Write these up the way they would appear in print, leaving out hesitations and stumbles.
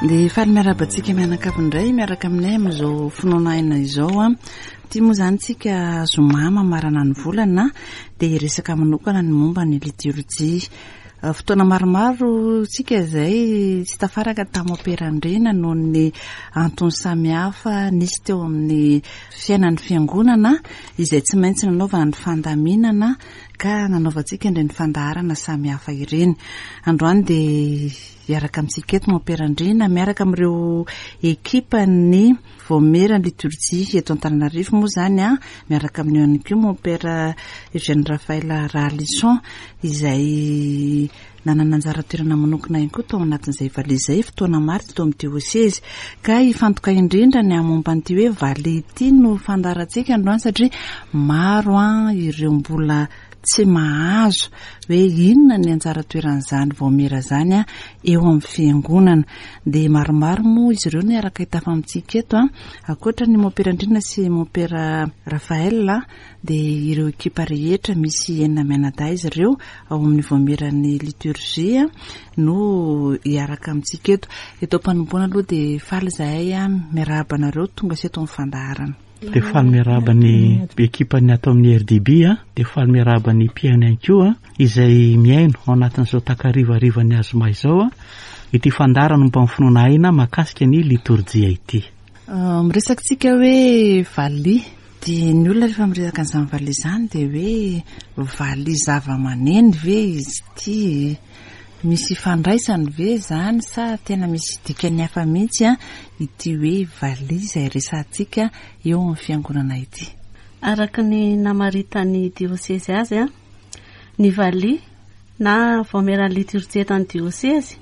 Dia faly miarahaba antsika mianakavy indray miaraka aminay amin'izao finoana aina izao a. Ity moa izany tsika zoma mamarana ny volana dia hiresaka manokana ny momba ny liturjia. Fotoana maromaro tsika izay tsy tafaraka tamin'ny Mompera Andriana noho ny antony samihafa nisy teo amin'ny fiainan'ny fiangonana izay tsy maintsy nanaovana ny fandaminana ka nanaovantsika ireny fandaharana samihafa ireny. Androany dia hiaraka amintsika eto Mompera Andriana miaraka amin'ireo ekipan'ny Vaomiera ny litorjia eto Antananarivo moa izany an, miaraka amin'io ihany koa Mompera Eugène Raphaël Rahalison izay nanana anjara toerana manokana ihany koa tao anatin'izay valiha izay fotoana maro teto amin'ny diosezy. Ka hifantoka indrindra ny momba an'ity hoe valiha ity no fandaharantsika androany satria maro an ireo mbola tsy mahazo hoe inona ny anjara toeran'izany vaomiera izany eo amin'ny fiangonana. Dia maromaro moa izy ireo no hiaraka hitafa amintsika eto. Ankoatra ny Mompera Andriana sy Mompera Raphaël dia ireo ekipa rehetra misy enina mianadahy izy ireo ao amin'ny vaomieran'ny liturgie no hiaraka amintsika eto. Eto am-panomboana aloha dia faly izahay miarahaba anareo tonga sy eto amin'ny fandaharana. Dia faly miarahaba ny ekipan'ny ato amin'ny RDB a, dia faly miarahaba ny mpihaino ihany koa izay mihaino ao anatin'izao takarivarivan'ny azoma izao a, ity fandaharana momba ny finoana aina mahakasika ny litorjia ity. Ah, miresaka tsika hoe valiha, dia ny olona rehefa miresaka an'izany valiha izany dia hoe valiha zava-maneno ve izy ity? Misy ifandraisany ve izany sa tena misy dikany hafa mihitsy ity hoe valiha izay resahantsika eo amin'ny fiangonana ity? Araka ny namaritan'ny diosezy azy, ny valiha na vaomieran'ny litorjia eto amin'ny diosezy,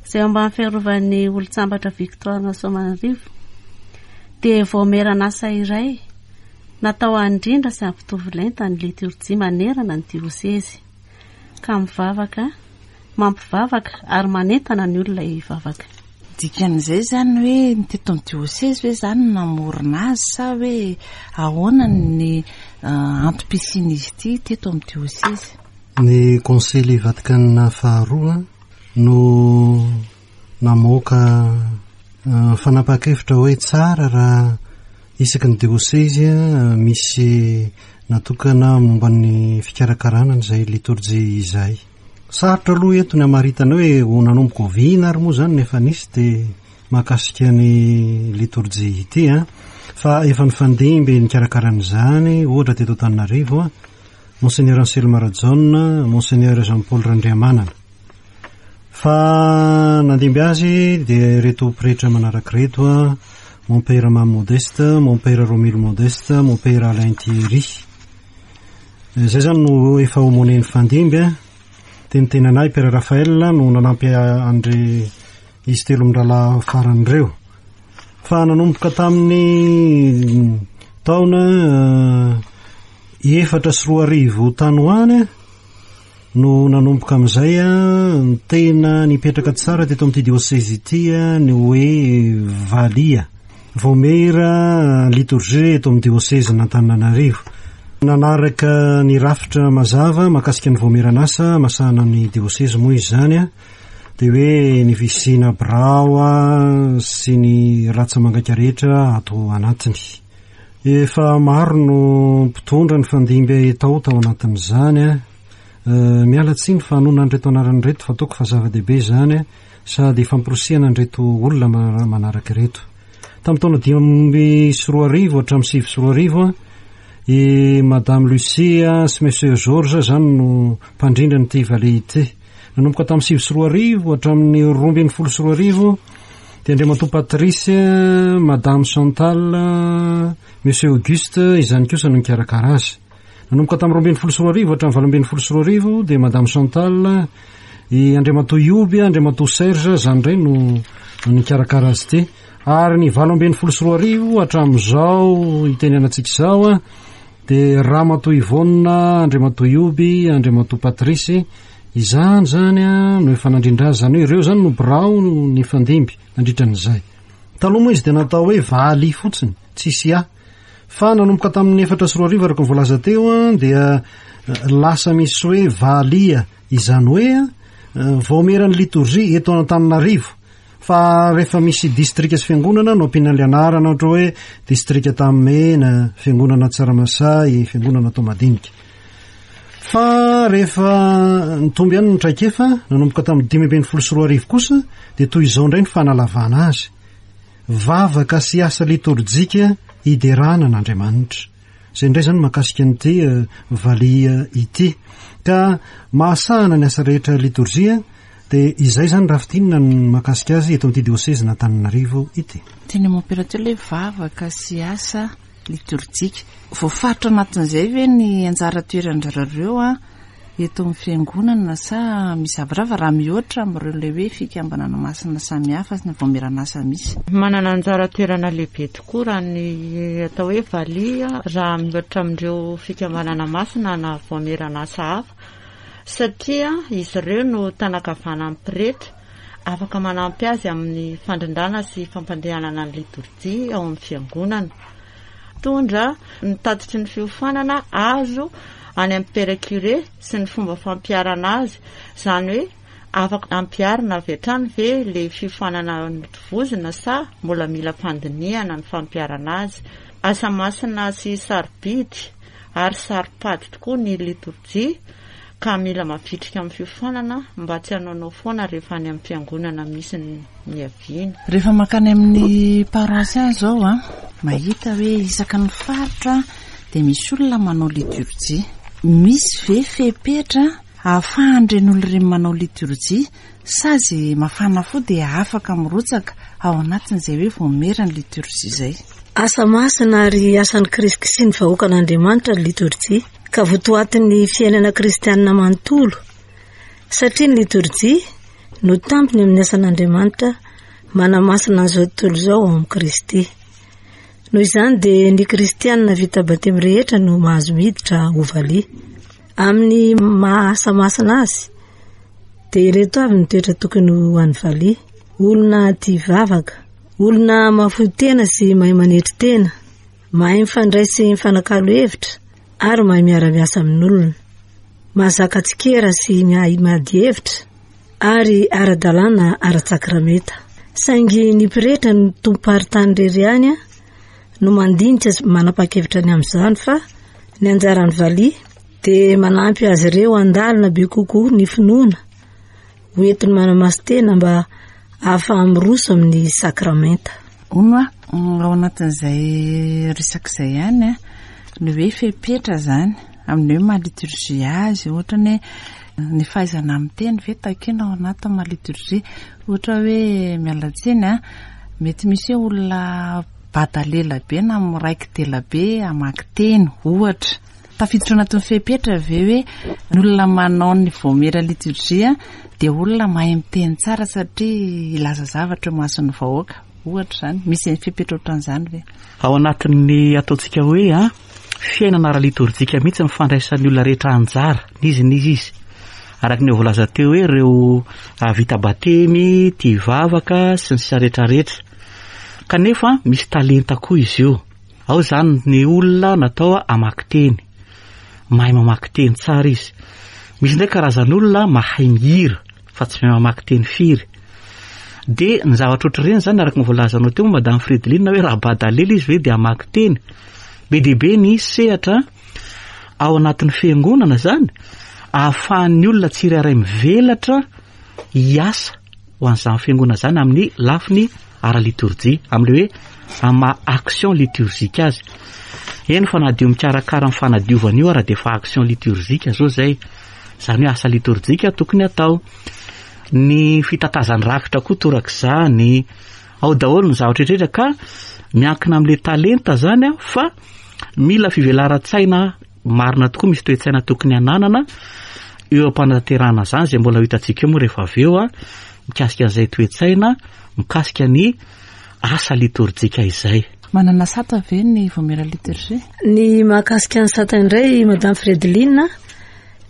izay eo ambany fiarovan'ny Olontsambatra Victoire Rasoamanarivo, dia vaomieran'asa iray natao handrindra sy hampitovy lenta ny litorjia manerana ny diosezy. ka mivavaka, mampivavaka ary manentana ny olona hivavaka. Dikan'izay izany hoe ny teto amin'ny diosezy ve izany no namorona azy sa hoe ahoana ny antom-pisian'izy ity teto amin'ny diosezy? Ny Konsily Vatikana faharoa no namoaka fanapahan-kevitra hoe tsara raha isaky ny diosezy misy natokana momba ny fikarakarana an'izay litorjia izay. Sarotra aloha eto ny hamaritana hoe ho nanomboka oviana ary moa izany no efa nisy dia mahakasika ny litorjia ity an, fa efa nifandimby nikarakara an'izany ohatra teto Antananarivo Monseigneur Anselme Rajaona, Monseigneur Jean Paul Randriamanana. Fa nandimby azy dia ireto pretra manaraka ireto a, Mompera Mamy Modeste, Mompera Romily Modeste, Mompera Alain Thierry. Izay zany no efa aumônier nifandimby a. Dia ny tenanay Père Raphaël no nanampy an'dry izy telo mirahalahy farany ireo. Fa nanomboka tamin'ny taona 2004 tany ho any a, no nanomboka amin'izay ny tena nipetraka tsara teto amin'ity diocèse ity ny hoe valiha vaomiera liturgie eto amin'ny diocèse n'Antananarivo. Nanaraka ny rafitra mazava mahakasika ny vaomieran'asa masahana ny diocèse moa izany dia hoe ny fisiana birao sy ny ratsa-mangaika rehetra ato anatiny. Efa maro no mpitondra nifandimby tao tao anatin'izany a. Miala tsiny fa hanonona an'ireto anarana ireto fa ataoko fa zava-dehibe izany sady famporisihana an'ireto olona manaraka ireto. Tamin'ny taona 2005 hatramin'ny 2009 i Madame Lucie sy Monsieur Georges izany no mpandrindra an'ity valiha ity. Nanomboka tamin'ny 2009 hatramin'ny 2012 dia Andriamatoa Patrice, Madame Chantal, Monsieur Auguste izany kosa no nikarakara azy. Nanomboka tamin'ny 2012 hatramin'ny 2018 dia Madame Chantal, i Andriamatoa Ioby, Andriamatoa Serge, izany indray no nikarakara azy ity. Ary ny 2018 hatramin'izao itenenantsika izao dia Ramatoa Yvonne, Andriamatoa Ioby, Andriamatoa Patrice, izany izany no efa nandrindra azy, izany hoe ireo izany no birao nifandimby nandritra an'izay. Taloha moa izy dia natao hoe Vali fotsiny, tsisy A. Fa nanomboka tamin'ny 2004 araka ny voalaza teo dia lasa misy hoe Valia, izany hoe vaomieran'ny litorjia eto Antananarivo. Fa rehefa misy distrika sy fiangonana no ampiana ilay anarana ohatra hoe distrika Antanimena, fiangonana Tsaramasay, fiangonana Toamadinika. Fa rehefa nitombo ihany ny traikefa, nanomboka tamin'ny 2015 kosa dia toy izao indray ny fanalavana azy. Vavaka sy asa litorjika hiderana an'Andriamanitra. Izay indray izany mahakasika an'ity eh, valiha ity. Ka mahasahana ny asa rehetra litorjia dia izay izany raha fintinina ny mahakasika azy eto amin'ity diosezin'Antananarivo ity. Teny mompera teo ilay vavaka sy asa litorjika. Voafaritra anatin'izay ve ny anjara toeran-dry zareo eto amin'ny fiangonana sa misy zavatra hafa raha mihoatra amin'ireo ilay hoe fikambanana masina samihafa sy ny vaomieran'asa misy? Manana anjara toerana lehibe tokoa raha ny atao hoe valiha raha mihoatra amin'ireo fikambanana masina na vaomieran'asa hafa satria izy ireo no tanan-kavanan'ny pretra afaka manampy azy amin'ny fandrindrana sy fampandehanana ny litorjia ao amin'ny fiangonana. Mitondra ny tatitry ny fiofanana azo any amin'ny Père Curé sy ny fomba fampiharana azy, izany hoe afaka ampiharina avy hatrany ve ilay fiofanana notovozina sa mbola mila fandinihana ny fampiharana azy. Asa masina sy sarobidy ary saro-pady tokoa ny litorjia ka mila mavitrika amin'ny fiofanana mba tsy hanaonao foana rehefa any amin'ny fiangonana misy ny niaviana. Rehefa mankany amin'ny paroasy any izao an, mahita hoe isaky ny faritra dia misy olona manao liturjia. Misy ve fepetra ahafahan'ireny olona ireny manao liturjia sa izay mafana fo dia afaka mirotsaka ao anatin'izay hoe vaomiera ny liturjia izay? Asa masina ary asan'i Kristy sy ny vahoakan'Andriamanitra ny liturjia, ka votoatin'ny fiainana kristianina manontolo, satria ny liturjia no tampony amin'ny asan'Andriamanitra manamasina an'izao tontolo izao ao amin'i Kristy. Noho izany dia ny kristianina vita batemy rehetra no mahazo miditra ho valiha. Amin'ny maha asa masina azy dia ireto avy ny toetra tokony ho an'ny valiha. Olona tia vavaka, olona mahafoy tena sy mahay manetry tena, mahay mifandray sy mifanakalo hevitra ary mahay miara-miasa amin'olona. Mahazaka tsikera sy miahy miady hevitra ary ara-dalàna ara-tsakramenta. Saingy ny pretra no tompom-paritany irery ihany no mandinika sy manapa-kevitra ny amin'izany fa ny anjaran'ny valiha dia manampy azy ireo handalina be kokoa ny finoana ho entiny manamasin-tena mba ahafaha-miroso amin'ny sakramenta. Hono aho, ao anatin'izay resaka izay ihany, ny hoe fepetra izany amin'ny hoe maha liturgie azy, ohatra ny hoe ny fahaizana miteny ve takiana ao anatin'ny maha liturgie, ohatra hoe miala tsiny an, mety misy hoe olona bada lela be na miraiki-dela be hamaky teny ohatra. Tafiditra ao anatin'ny fepetra ve hoe ny olona manao ny vaomiera liturgie dia olona mahay miteny tsara satria hilaza zavatra eo imason'ny vahoaka? Ohatra izany, misy fepetra ohatran'izany ve? Ao anatin'ny ataontsika hoe a fiainana ara-litorjika mihitsy ny fandraisan'ny olona rehetra anjara, n'izy n'izy izy. Araka ny voalaza teo hoe ireo vita batemy, tia vavaka sy ny sisa rehetra rehetra. Kanefa misy talenta koa izy io. Ao izany ny olona natao hamaky teny. Mahay mamaky teny tsara izy. Misy indray karazan'olona mahay mihira fa tsy mahay mamaky teny firy. Dia ny zavatra ohatr'ireny izany araka ny voalazanao teo moa Madame Frideline hoe raha badalelo izy ve dia hamaky teny. Be dia be ny sehatra ao anatin'ny fiangonana izany ahafahan'ny olona tsirairay mivelatra hiasa ho an'izany fiangonana izany amin'ny lafiny ara-litorjia, amin'ilay hoe amin'ny maha action liturgique azy. Eny fa na dia mikarakara ny fanadiovana io ara dia efa action liturgique zao izay. Izany hoe asa litorjika tokony atao. Ny fitatazan'ny rakitra koa torak'izany. Ao daholo ny zavatra rehetra ka miankina amin'ilay talenta izany fa mila fivelaran-tsaina. Marina tokoa misy toe-tsaina tokony hananana eo am-panatanterahana izany izay mbola ho hitantsika eo moa rehefa avy eo mikasika an'izay toe-tsaina mikasika ny asa litorjika izay. Manana sata ve ny Vaomiera Liturgie? Ny mahakasika ny sata indray Madame Fredeline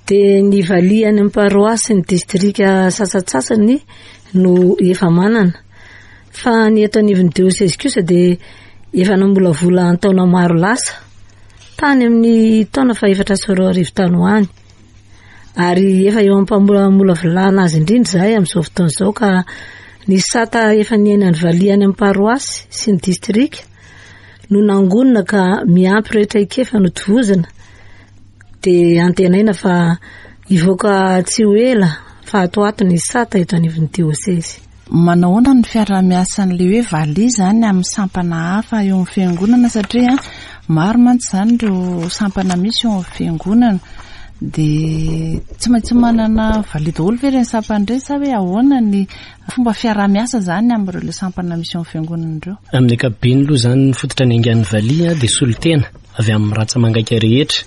dia ny valiha any amin'ny paroasy sy ny distrika sasantsasany no efa manana. Fa ny eto anivon'ny diosezy kosa dia efa namolavola an-taona maro lasa, tany amin'ny taona faha-2004 tany ho any. Ary efa eo am-pamolavolana azy indrindra izahay amin'izao fotoana izao ka ny sata efa niainan'ny valiha any amin'ny paroasy sy ny distrika no nangonina ka miampy ireo traikefa notovozina dia antenaina fa hivoaka tsy ho ela fa ato ho ato ny sata eto anivon'ny diosezy. Manao ahoana ny fiaraha-miasan'ilay hoe valiha izany amin'ny sampana hafa eo amin'ny fiangonana satria maro mantsy izany ireo sampana misy eo amin'ny fiangonana dia tsy maintsy manana valiha daholo ve ireny sampana ireny sa hoe ahoana ny fomba fiaraha-miasa izany amin'ireo ilay sampana misy eo amin'ny fiangonana ireo? Amin'ny ankapobeny aloha izany ny fototra niaingan'ny valiha dia solontena avy amin'ny rantsa-mangaika rehetra.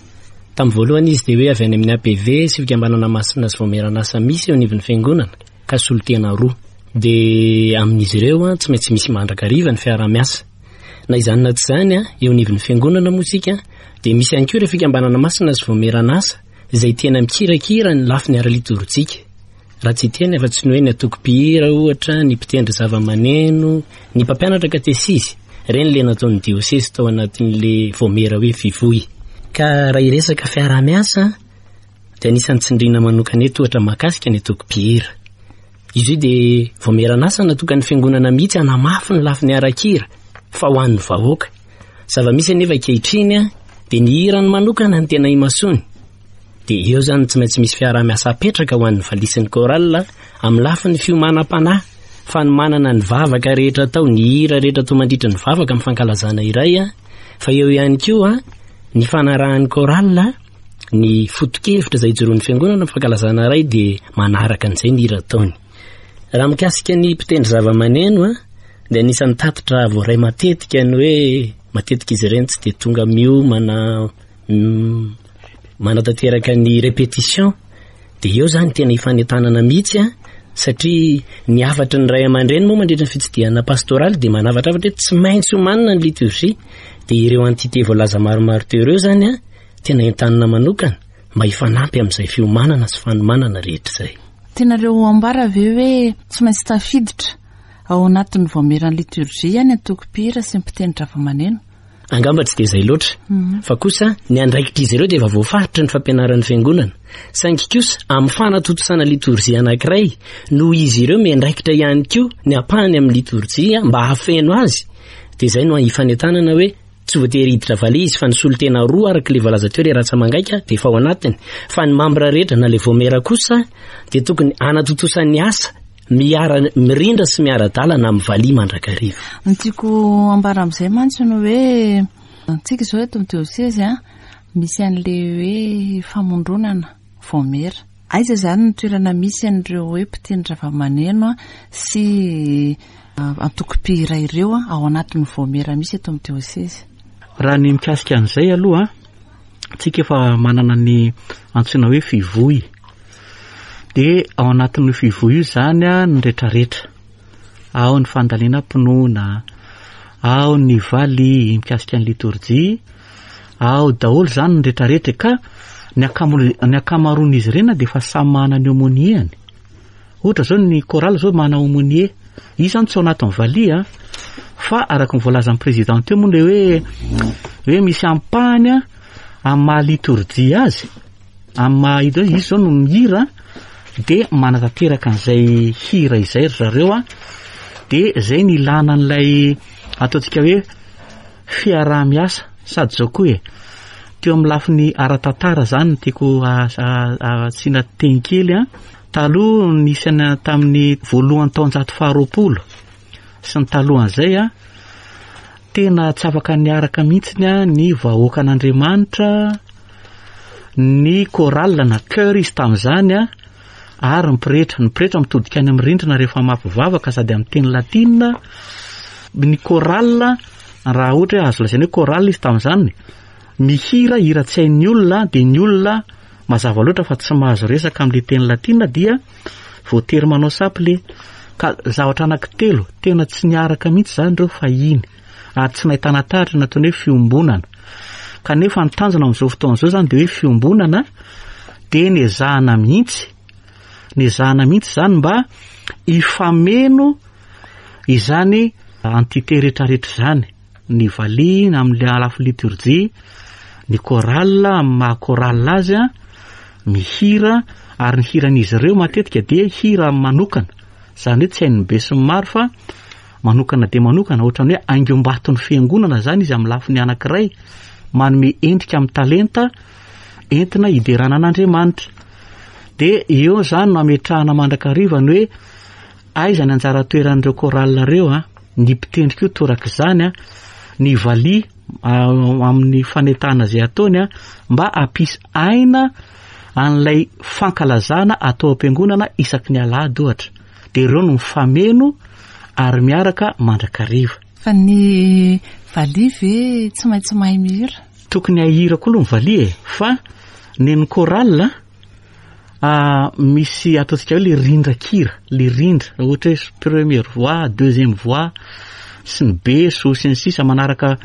Tamin'ny voalohany izy dia hoe avy any amin'ny APV sy fikambanana masina sy vaomieran'asa misy eo anivon'ny fiangonana. ka solontena roa. Dia amin'izy ireo tsy maintsy misy mandrakariva ny fiaraha-miasa. Na izany na tsy izany, eo anivon'ny fiangonana moa isika dia misy ihany koa ireo fikambanana masina sy vaomieran'asa izay tena mikirakira ny lafiny ara-litorjika. Raha tsy hiteny afa-tsy ny hoe ny antoko mpihira ohatra, ny mpitendry zava-maneno, ny mpampianatra katesizy, ireny ilay nataon'ny diosezy tao anatin'ilay vaomiera hoe Fivoy. Ka raha hiresaka fiaraha-miasa, dia anisan'ny tsindriana manokana eto ohatra mahakasika ny antoko mpihira. Izy io dia vaomieran'asa natokan'ny fiangonana mihitsy hanamafy ny lafiny ara-kira fa ho an'ny vahoaka. Zava-misy anefa ankehitriny dia ny hirany manokana ny tena imasoany. Dia eo izany tsy maintsy misy fiaraha-miasa apetraka ho an'ny valisin'ny chorale amin'ny lafiny fiomanam-panahy, fanomanana ny vavaka rehetra atao, ny hira rehetra atao mandritra ny vavaka amin'ny fankalazana iray, fa eo ihany koa ny fanarahan'ny chorale Ny foto-kevitra izay ijoroan'ny fiangonana amin'ny fankalazana iray dia manaraka an'izay ny hira ataony. Raha mikasika ny mpitendry zava-maneno dia anisan'ny tatitra voaray matetika ny hoe matetika izy ireny tsy dia tonga miomana manatanteraka ny répétition dia eo izany tena ifanentanana mihitsy a satria ny hafatry ny ray aman-dreny moa mandritra ny fitsidihana pastoraly dia manavatrafatra hoe tsy maintsy omanina ny liturgie dia ireo entité voalaza maromaro teo ireo izany a Tena entanina manokana mba hifanampy amin'izay fiomanana sy fanomanana rehetra izay. Tianareo ambara ve hoe tsy maintsy tafiditra ao anatin'ny vaomieran'ny liturgie ny antoko mpihira sy ny mpitendry zavamaneno? Angamba tsy dia izay loatra, fa kosa ny andraikitr'izy ireo dia efa voafaritry ny fampianaran'ny Fiangonana. Saingy kosa amin'ny fanatontosana litorjia anankiray, noho izy ireo miandraikitra ihany koa ny ampahany amin'ny litorjia mba hahafeno azy, dia izay no hifanentanana hoe Tsy voatery hiditra valiha izy fa ny solontena roa araka ilay voalaza teo ilay ratsa-mangaika dia efa ao anatiny fa ny mambra rehetra na ilay vaomiera kosa dia tokony hanatontosa ny asa miara mirindra sy miara-dalana amin'ny valiha mandrakariva. Ny tiako ambara amin'izay mantsy no hoe antsika izao eto amin'ny diosezy a misy an'ilay hoe famondronana vaomiera. Aiza izany ny toerana misy an'ireo hoe mpitendry zavamaneno sy antoko mpihira ireo ao anatin'ny vaomiera misy eto amin'ny diosezy? Raha ny mikasika an'izay aloha, tsika efa manana ny antsoina hoe fivoy. Dia ao anatin'io fivoy io izany ny retraretra. Ao ny fandalinam-pinoana, ao ny valiha mikasika ny litorjia, Ao daholo izany ny retraretra e, ka ny ny ankamaroan'izy ireny dia efa samy manana ny aumônier-ny. Ohatra izao ny chorale izao manana aumônier. Izy izany tsy ao anatin'ny valiha fa araka ny voalazan'ny président teo moa ilay hoe hoe misy ampahany amin'ny maha litorjia azy, amin'ny maha izy izao no mihira dia manatanteraka an'izay hira izay ry zareo a, dia izay ny ilana an'ilay ataontsika hoe Fiaraha-miasa, sady izao koa e, teo amin'ny lafiny ara-tantara izany no tiako asiana teny kely an, taloha nisy an tamin'ny voalohan'ny taonjato faharoapolo sy ny talohan'izay an, tena tsy afaka niaraka mihitsy ny vahoakan'Andriamanitra, ny chorale na chœur izy tamin'izany an, ary ny pretra. Ny pretra mitodika any amin'ny rindrina rehefa mampivavaka sady amin'ny teny latina. Ny chorale, raha ohatra hoe azo lazaina hoe chorale izy tamin'izany, mihira hira tsy hain'ny olona dia ny olona mazava loatra fa tsy mahazo resaka amin'ilay teny latina dia voatery manao saple. Ka zavatra anankitelo tena tsy niaraka mihitsy izany ireo fahiny ary tsy nahitana taratra ny ataony hoe fiombonana. Kanefa ny tanjona amin'izao fotoana izao izany dia hoe fiombonana dia nezahana mihitsy, nezahana mihitsy izany mba hifameno izany entité rehetrarehetra izany. Ny valiha amin'ny lafiny liturgie, ny chorale amin'ny maha chorale azy, mihira ary ny hiran'izy ireo matetika dia hira manokana, izany hoe tsy hain'ny besinimaro fa manokana dia manokana, ohatran'ny hoe haingom-baton'ny fiangonana izany izy amin'ny lafiny anankiray, manome endrika amin'ny talenta entina hiderana an'Andriamanitra. Dia eo izany no ametrahana mandrakariva ny hoe Aiza ny anjara toeran'ireo chorale ireo a? Ny mpitendry koa torak'izany a, ny valiha amin'ny fanetahana izay ataony a, mba hampisy aina an'ilay fankalazana atao am-piangonana isaky ny alahady ohatra. Dia ireo no mifameno ary miaraka mandrakariva. Fa ny valiha ve tsy maintsy mahay mihira? Tokony hahira koa aloha ny valiha e, fa nen'ny chorale Misy ataontsika hoe le rindran-kira, le rindra, ohatra hoe première voix, deuxième voix, sy ny beso sy ny sisa manaraka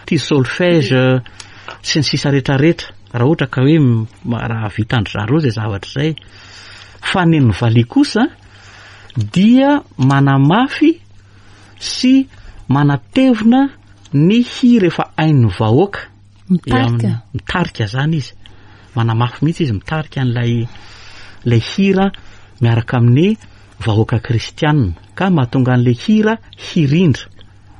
ty solfège sy ny sisa rehetrarehetra, raha ohatra ka hoe raha vitan-dry zareo zay zavatra zay. Fa ny an'ny valiha kosa dia manamafy sy manatevina ny hira efa hain'ny vahoaka. Mitarika. Mitarika zany izy. Manamafy mihitsy izy mitarika an'ilay ilay hira miaraka amin'ny vahoaka kristianina ka mahatonga an'ilay hira hirindra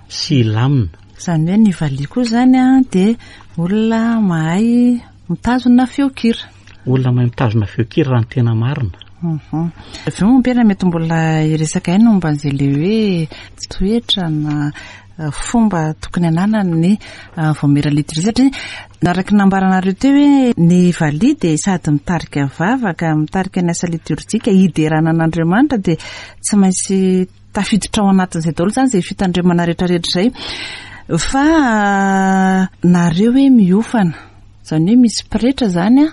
sy hilamina. Izany hoe ny valiha koa izany dia olona mahay mitazona feon-kira. Olona mahay mitazona feon-kira raha ny tena marina. Avy eo mompera mety mbola hiresaka ihany momba an'izay ilay hoe toetra na fomba tokony ananan'ny vaomiera liturgie satria araka ny nambaranareo teo hoe ny valiha dia sady mitarika vavaka, mitarika ny asa liturjika hiderana an'Andriamanitra dia tsy maintsy tafiditra ao anatin'izay daholo izany izay fitandremana rehetrarehetra izay. Fa nareo hoe miofana, izany hoe misy pretra izany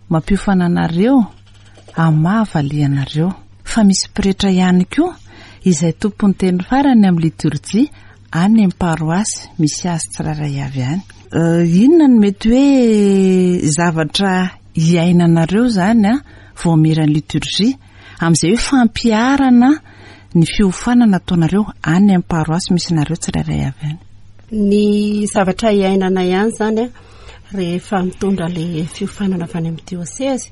mampiofana anareo amin'ny maha valiha anareo. Fa misy pretra ihany koa izay tompon'ny teny farany amin'ny liturjia any amin'ny paroasy misy azy tsirairay avy any. Inona no mety hoe zavatra iainanareo izany vaomieran'ny liturjia amin'izay hoe fampiharana ny fiofanana ataonareo any amin'ny paroasy misy anareo tsirairay avy any? Ny zavatra iainana ihany izany rehefa mitondra ilay fiofanana avy any amin'ny diosezy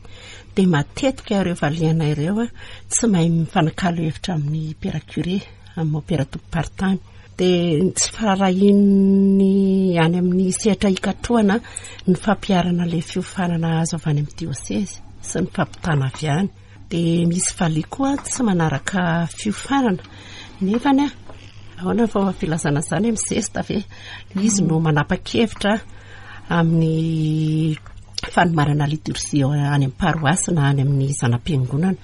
dia matetika ireo valiana ireo tsy mahay mifanakalo hevitra amin'ny père curé, amin'ny mompera tompom-paritany. Dia ny tsy firaharahian'ny any amin'ny sehatra ikatrohana ny fampiharana ilay fiofanana azo avy any amin'ny diosezy sy ny fampitana avy any. Dia misy valiha koa tsy manaraka fiofanana nefany ahoana ny fomba filazana izany hoe mizesta ve? Izy no manapa-kevitra amin'ny fanomanana liturgie any amin'ny paroasy na any amin'ny zana-piangonana.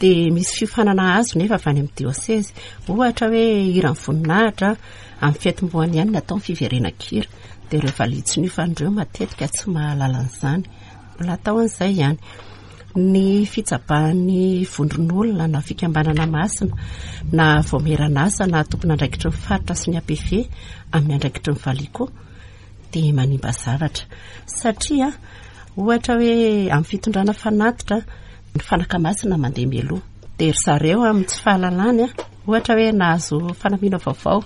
Dia misy fiofanana azo nefa avy any amin'ny diosezy. Ohatra hoe hiran'ny voninahitra amin'ny fetim-boany ihany no atao ny fiverenan-kira. Dia ireo valiha tsy niofana ireo matetika tsy mahalala an'izany. Mbola atao an'izay ihany. Ny fitsabahan'ny vondron'olona na fikambanana masina na vaomieran'asa na tompon'andraikitry ny faritra sy ny APV amin'ny andraikitry ny valiha koa dia manimba zavatra satria ohatra hoe amin'ny fitondrana fanatitra ny fanaka masina mandeha mialoha dia ry zareo amin'ny tsy fahalalany ohatra hoe nahazo fanamiana vaovao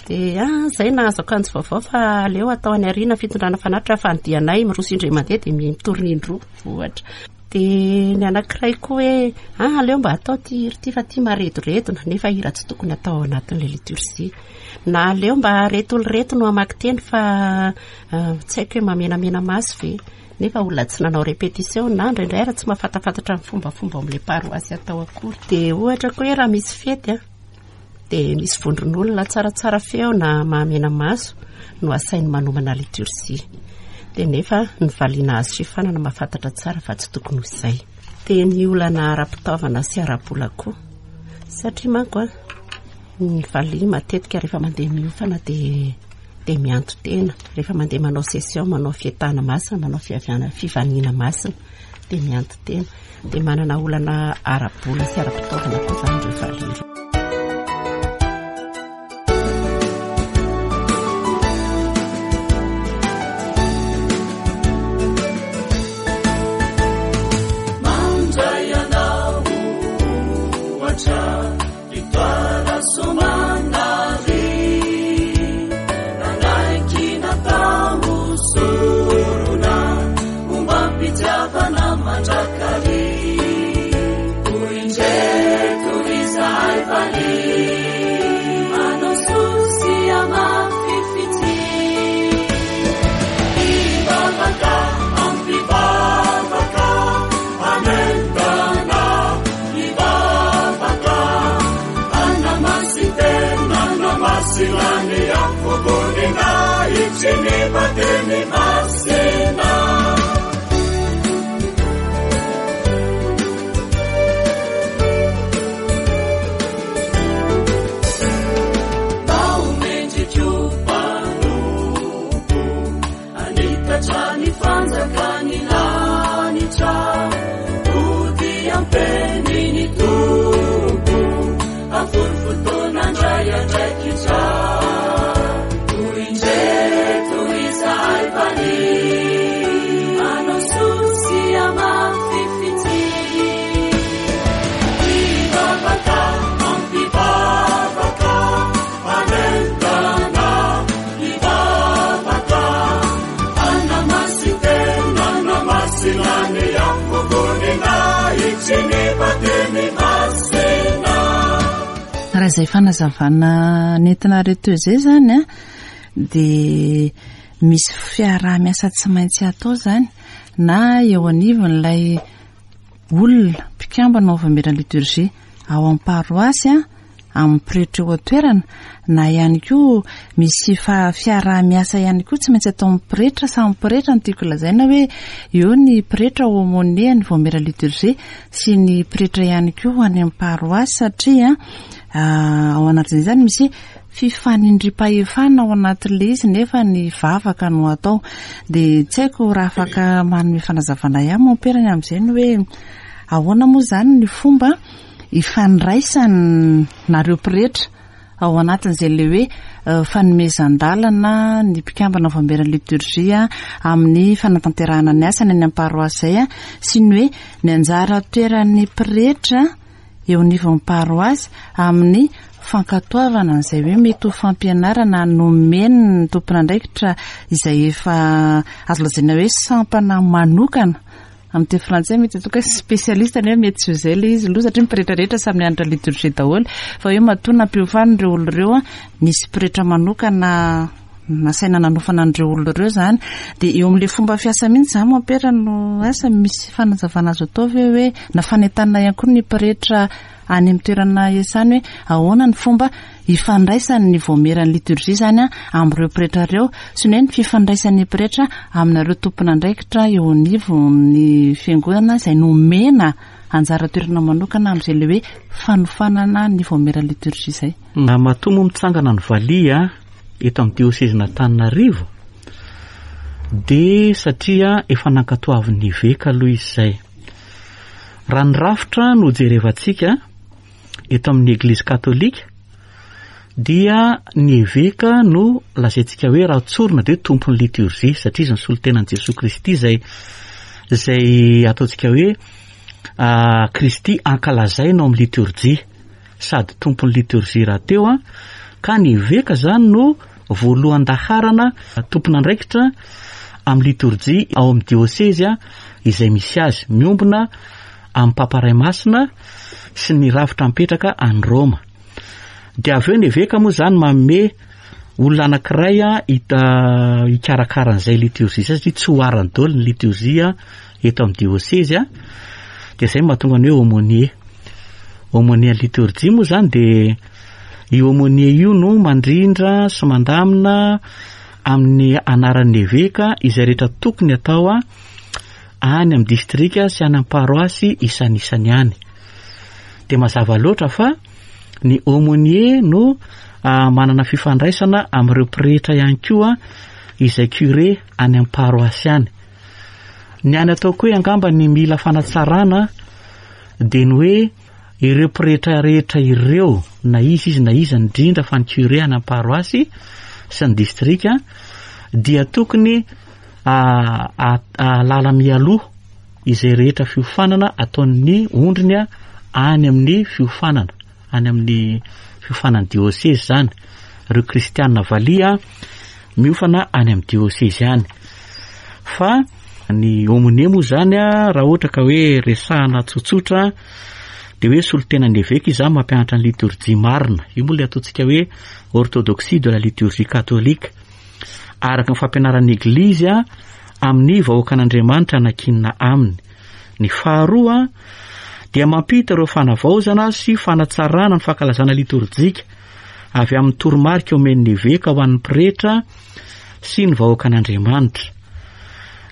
dia ah, zay nahazo akanjo vaovao fa aleo atao any aoriana fitondrana fanatitra fa ny dianay miroso indray mandeha dia mitorina indroa ohatra dia ny anankiray koa hoe ah aleo mba atao ty hira ty fa ty maredoredona nefa hira tsy tokony atao ao anatin'ilay liturgie na aleo mba reto olo reto no hamaky teny fa ah, tsy haiko hoe mamenamena maso ve nefa olona tsy nanao répétition na indraindray ary tsy mahafantafantatra ny fombafomba ao amin'ilay paroasy atao akory. Dia ohatra koa hoe raha misy fety a, dia misy vondron'olona tsaratsara feo na mahamena maso no asainy manomana liturgie. Dia nefa ny valiana azo fiofanana mahafantatra tsara fa tsy tokony ho izay. Dia ny olana ara-pitaovana sy ara-bola koa. Satria manko a, ny valiha matetika rehefa mandeha miofana dia. dia mianto-tena rehefa mandeha manao session, manao fietahana masina, manao fiaviana fivaniana masina dia mianto-tena. Dia manana olana ara-bola sy ara-pitaovana koa izany ireo valiha ireo. Raha izay fanazavana nentinareo teo izay izany an, dia misy fiaraha-miasa tsy maintsy atao izany na eo anivon'ilay olona mpikambana ao Vaomieran'ny Liturgie ao amin'ny paroasy an, amin'ny pretra eo an-toerana na ihany koa misy fiaraha-miasa ihany koa tsy maintsy ataon'ny pretra samy pretra no tiako lazaina hoe eo ny pretra aumônier ny vaomiera liturgie sy ny pretra ihany koa any amin'ny paroasy satria ao anatin'izay izany misy fifanindrim-pahefana ao anatin'ilay izy nefa ny vavaka no atao dia tsy haiko raha afaka manome fanazavana ihany mompera ny amin'izay ny hoe ahoana moa izany ny fomba ifandraisanareo pretra ao anatin'izay ilay hoe fanomezan-dalana ny mpikambana ao Vaomieran'ny Liturgie amin'ny fanatanterahana ny asany any amin'ny paroasy izay sy ny hoe ny anjara toeran'ny pretra eo anivon'ny paroasy amin'ny fankatoavana an'izay hoe mety ho fampianarana nomen'ny tompon'andraikitra izay efa azo lazaina hoe sampana manokana Amin'ny teny frantsay mety ataoko hoe spécialiste nefa mety tsy ho izay ilay izy aloha satria ny pretra rehetra samy nianatra liturgie daholo fa hoe matoa nampiofanina ireo olona ireo nisy pretra manokana nasaina nanofana an'ireo olona ireo izany dia eo amin'ilay fomba fiasa mihitsy izany mompera no asa misy fanazavana azo atao ve hoe na fanentanana ihany koa ny pretra any amin'ny toerana iasany hoe ahoana ny fomba ifandraisan'ny vaomieran'ny liturgie izany amin'ireo pretra ireo sy ny hoe ny fifandraisan'ny pretra aminareo tompon'andraikitra eo anivon'ny fiangonana izay nomena anjara toerana manokana amin'izay ilay hoe fanofanana ny vaomieran'ny liturgie izay. Matoa moa mitsangana ny valiha eto amin'ny diosezin'Antananarivo dia satria efa nankatoavin'ny eveka aloha izy izay. Raha ny rafitra no jerevantsika eto amin'ny Eglizy Katolika dia ny eveka no lazaintsika hoe raha tsorina dia hoe tompon'ny liturgie satria izy no solontenan'i Jesoa Kristy izay izay ataontsika hoe ah, Kristy ankalazaina ao amin'ny liturgie sady tompon'ny liturgie rahateo an ka ny eveka zany no voalohan-daharana tompon'andraikitra amin'ny liturgie ao amin'ny diosezy izay misy azy miombona amin'ny Papa Ray Masina sy ny rafitra mipetraka any Roma. Dia avy eo ny eveka moa izany manome olona anankiray hita hikarakara an'izay liturgie izay satria tsy ho arany daholo ny liturgie eto amin'ny diosezy dia izay no mahatonga ny hoe aumônier. Aumônier liturgie moa izany dia io aumônier io no mandrindra sy mandamina amin'ny anaran'ny eveka izay rehetra tokony atao any amin'ny distrika sy any amin'ny paroasy isanisany any. Dia mazava loatra fa Ny aumônier no manana fifandraisana amin'ireo pretra ihany koa izay curé any amin'ny paroasy any. Ny any ataoko hoe angamba ny mila fanatsarana dia ny hoe ireo pretra rehetra ireo na iza izy na iza indrindra fa ny curé any amin'ny paroasy sy ny distrika dia tokony ahalala mialoha izay rehetra fiofanana ataon'ny ondriny any amin'ny fiofanana, any amin'ny fiofanan'ny diosezy izany, ireo kristiana valiha miofana any amin'ny diosezy any. Fa ny aumônier moa izany raha ohatra ka hoe resahana tsotsotra dia hoe solontenan'ny eveka izy izany mampianatra ny litorjia marina. Io moa ilay ataontsika hoe orthodoxie de la liturgie catholique. Araka ny fampianaran'ny Eglizy amin'ny vahoakan'Andriamanitra nankinina aminy. Ny faharoa dia mampita ireo fanavaozana sy fanatsarana ny fankalazana litorjika avy amin'ny toromarika omen'ny eveka ho an'ny pretra sy ny vahoakan'Andriamanitra.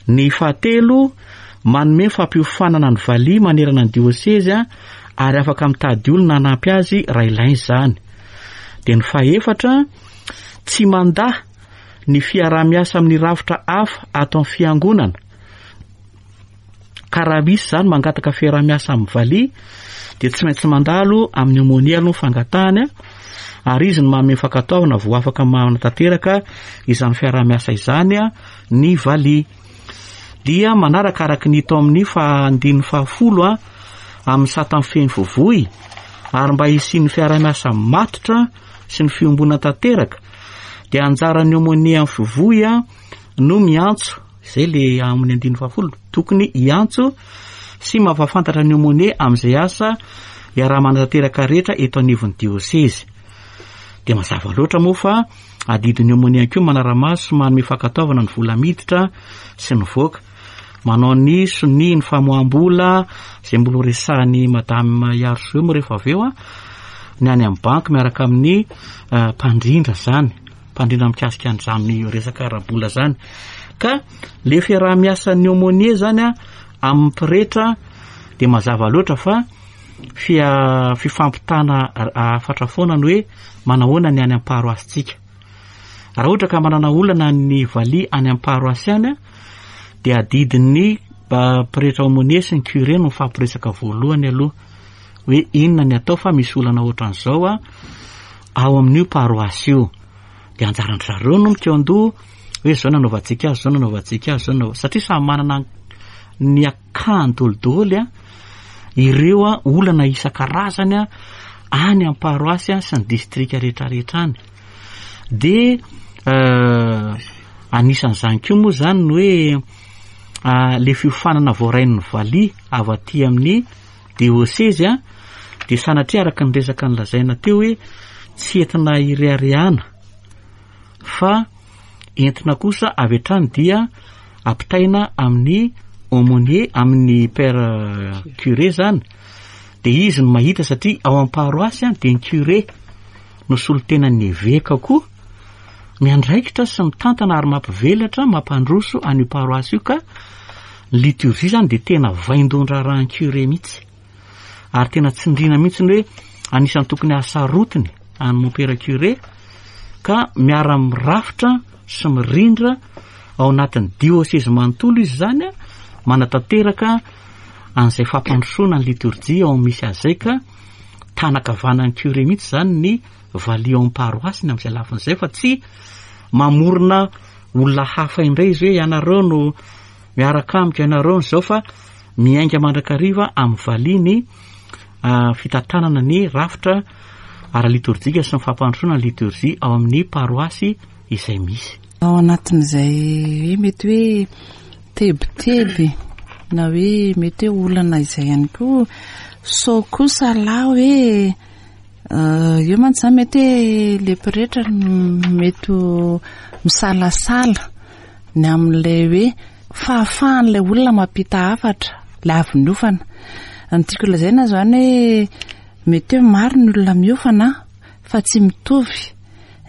Ny fahatelo, manome fampiofanana ny valiha manerana ny diosezy ary afaka mitady olona hanampy azy raha ilaina izany. Dia ny fahefatra, tsy mandà ny fiaraha-miasa amin'ny rafitra hafa ato amin'ny fiangonana, ka raha misy izany mangataka fiaraha-miasa amin'ny valiha dia tsy maintsy mandalo amin'ny aumônier aloha ny fangatahany ary izy no manome fankatoavana vao afaka manatanteraka izany fiaraha-miasa izany ny valiha. Dia manaraka araka ny hita ao amin'ny andininy fahafolo amin'ny sata mifehy ny vovoy ary mba hisian'ny fiaraha-miasa matotra sy ny fiombonana tanteraka dia anjaran'ny aumônier amin'ny fivoy no miantso, izay le amin'ny andininy fahafolo, tokony hiantso sy mampahafantatra ny aumônier amin'izay asa iaraha-manatanteraka rehetra eto anivon'ny diosezy. Dia mazava loatra moa fa adidin'ny aumônier ihany koa manara-maso sy manome fankatoavana ny vola miditra sy mivoaka. Manao ny sonia ny famoaham-bola izay mbola ho resahan'i Madame Iarosoa moa rehefa avy eo, ny any amin'ny banky miaraka amin'ny mpandrindra izany, mpandrindra mikasika an'izany resaka ara-bola izany. Ka le fiaraha-miasan'ny aumônier izany amin'ny pretra dia mazava loatra fa fia-, fifampitana hafatra foana ny hoe manahoana ny any amin'ny paroasintsika. Raha ohatra ka manana olana ny valiha any amin'ny paroasy any dia adidin'ny pretra aumônier sy ny curé no mifampiresaka voalohany aloha hoe inona ny atao fa misy olana ohatran'izao ao amin'io paroasy io. Dia anjaran-dry zareo no mikaon-doha hoe izao nanaovantsika azy, izao nanaovantsika azy, izao nanaova-, satria samy manana ny akany dolidoly ireo olana isan-karazany any amin'ny paroasy sy ny distrika rehetrarehetra any. Dia anisan'izany koa moa izany ny hoe le fiofanana voarain'ny valiha avy aty amin'ny diosezy dia sanatria araka ny resaka nolazaina teo hoe tsy entina ireharehana fa entina kosa avy hatrany dia ampitaina amin'ny aumônier, amin'ny père curé zany, dia izy no mahita satria ao amin'ny paroasy dia ny curé no solontenan'ny eveka koa miandraikitra sy mitantana ary mampivelatra, mampandroso an'io paroasy io ka ny liturgie zany dia tena vaindohan-draharahan'ny curé mihitsy ary tena tsindriana mihitsy ny hoe anisan'ny tokony hahasarotiny an'i mompera curé ka miara-mirafitra sy mirindra ao anatin'ny diosezy manontolo izy izany manatanteraka an'izay fampandrosoana ny liturgie ao amin'ny misy azy izay ka tanakavanan'ny curé mihitsy izany ny valiha ao amin'ny paroasiny amin'izay lafiny izay fa tsy mamorona olona hafa indray izy hoe ianareo no miaraka amiko, ianareo no izao fa miainga mandrakariva amin'ny valiha ny fitantanana ny rafitra ara-litorjika sy ny fampandrosoana ny litorjia ao amin'ny paroasy izay misy. Ao anatin'izay hoe mety hoe tebiteby na hoe mety hoe olana izay ihany koa, sao kosa lahy hoe eo mantsy izany mety hoe le pretra mety ho misalasala ny amin'ilay hoe fahafahan'ilay olona mampita hafatra ilay avy niofana. Ny tiako lazaina izany hoe mety hoe maro ny olona miofana fa tsy mitovy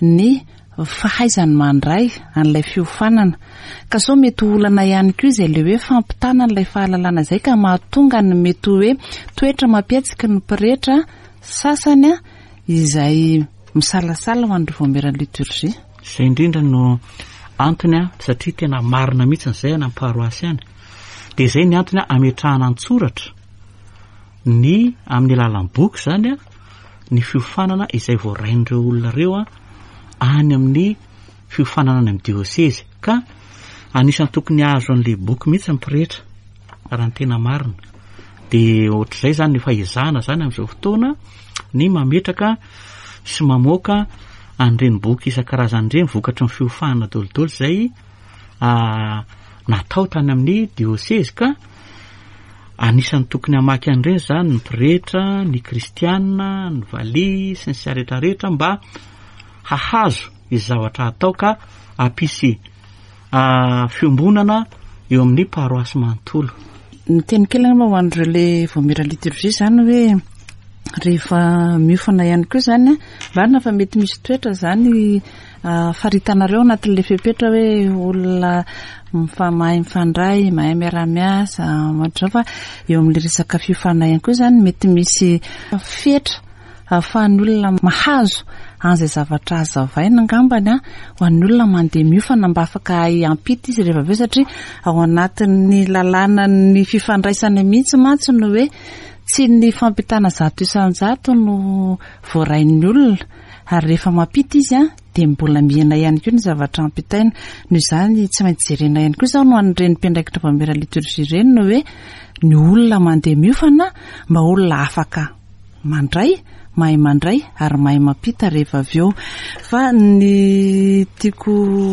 ny fahaizany mandray an'ilay fiofanana. Ka sao mety ho olana ihany koa izay ilay hoe fampitana an'ilay fahalalana izay ka mahatonga ny mety ho hoe toetra mampihetsiky ny pretra sasany. izay misalasala ho an'ireo vaomieran'ny liturgie. Izay indrindra no antony satria tena marina mihitsy izay any amin'ny paroasy any. Dia izay ny antony ametrahana an-tsoratra ny amin'ny alalan'ny boky izany ny fiofanana izay voarain'ireo olona ireo any amin'ny fiofanana any amin'ny diosezy. Ka anisan'ny tokony hahazo an'ilay boky mihitsy ny pretra raha ny tena marina. Dia ohatr'izay izany efa ezahana izany amin'izao fotoana ny mametraka sy mamoaka an'ireny boky isan-karazany ireny vokatry ny fiofanana daholo izay natao tany amin'ny diosezy ka anisan'ny tokony hamaky an'ireny izany ny pretra, ny kristiana, ny valiha sy ny sisa rehetra rehetra mba hahazo izay zavatra atao ka hampisy fiombonana eo amin'ny paroasy manontolo. Miteny kely angamba ho an'ireo le vaomiera liturgie izany hoe rehefa miofana ihany koa izany, marina fa mety misy toetra izany faritanareo anatin'ilay fepetra hoe olona mahay mifandray, mahay miara-miasa, ohatr'izao fa eo amin'ilay resaka fiofanana ihany koa izany mety misy fetra ahafahan'ny olona mahazo an'izay zavatra hazavaina angambany an, ho an'ny olona mandeha miofana mba afaka hahay hampita izy rehefa avy eo satria ao anatin'ny lalànan'ny fifandraisana mihitsy mantsy no hoe tsy ny fampitana 100% no voarain'ny olona ary rehefa mampita izy an dia mbola mihena ihany koa ny zavatra ampitaina. Noho izany tsy maintsy jerena ihany koa izany ho an'ireny mpiandraikitra vaomiera liturgie ireny no hoe ny olona mandeha miofana mba olona afaka mandray, mahay mandray ary mahay mampita rehefa avy eo. Fa ny tiako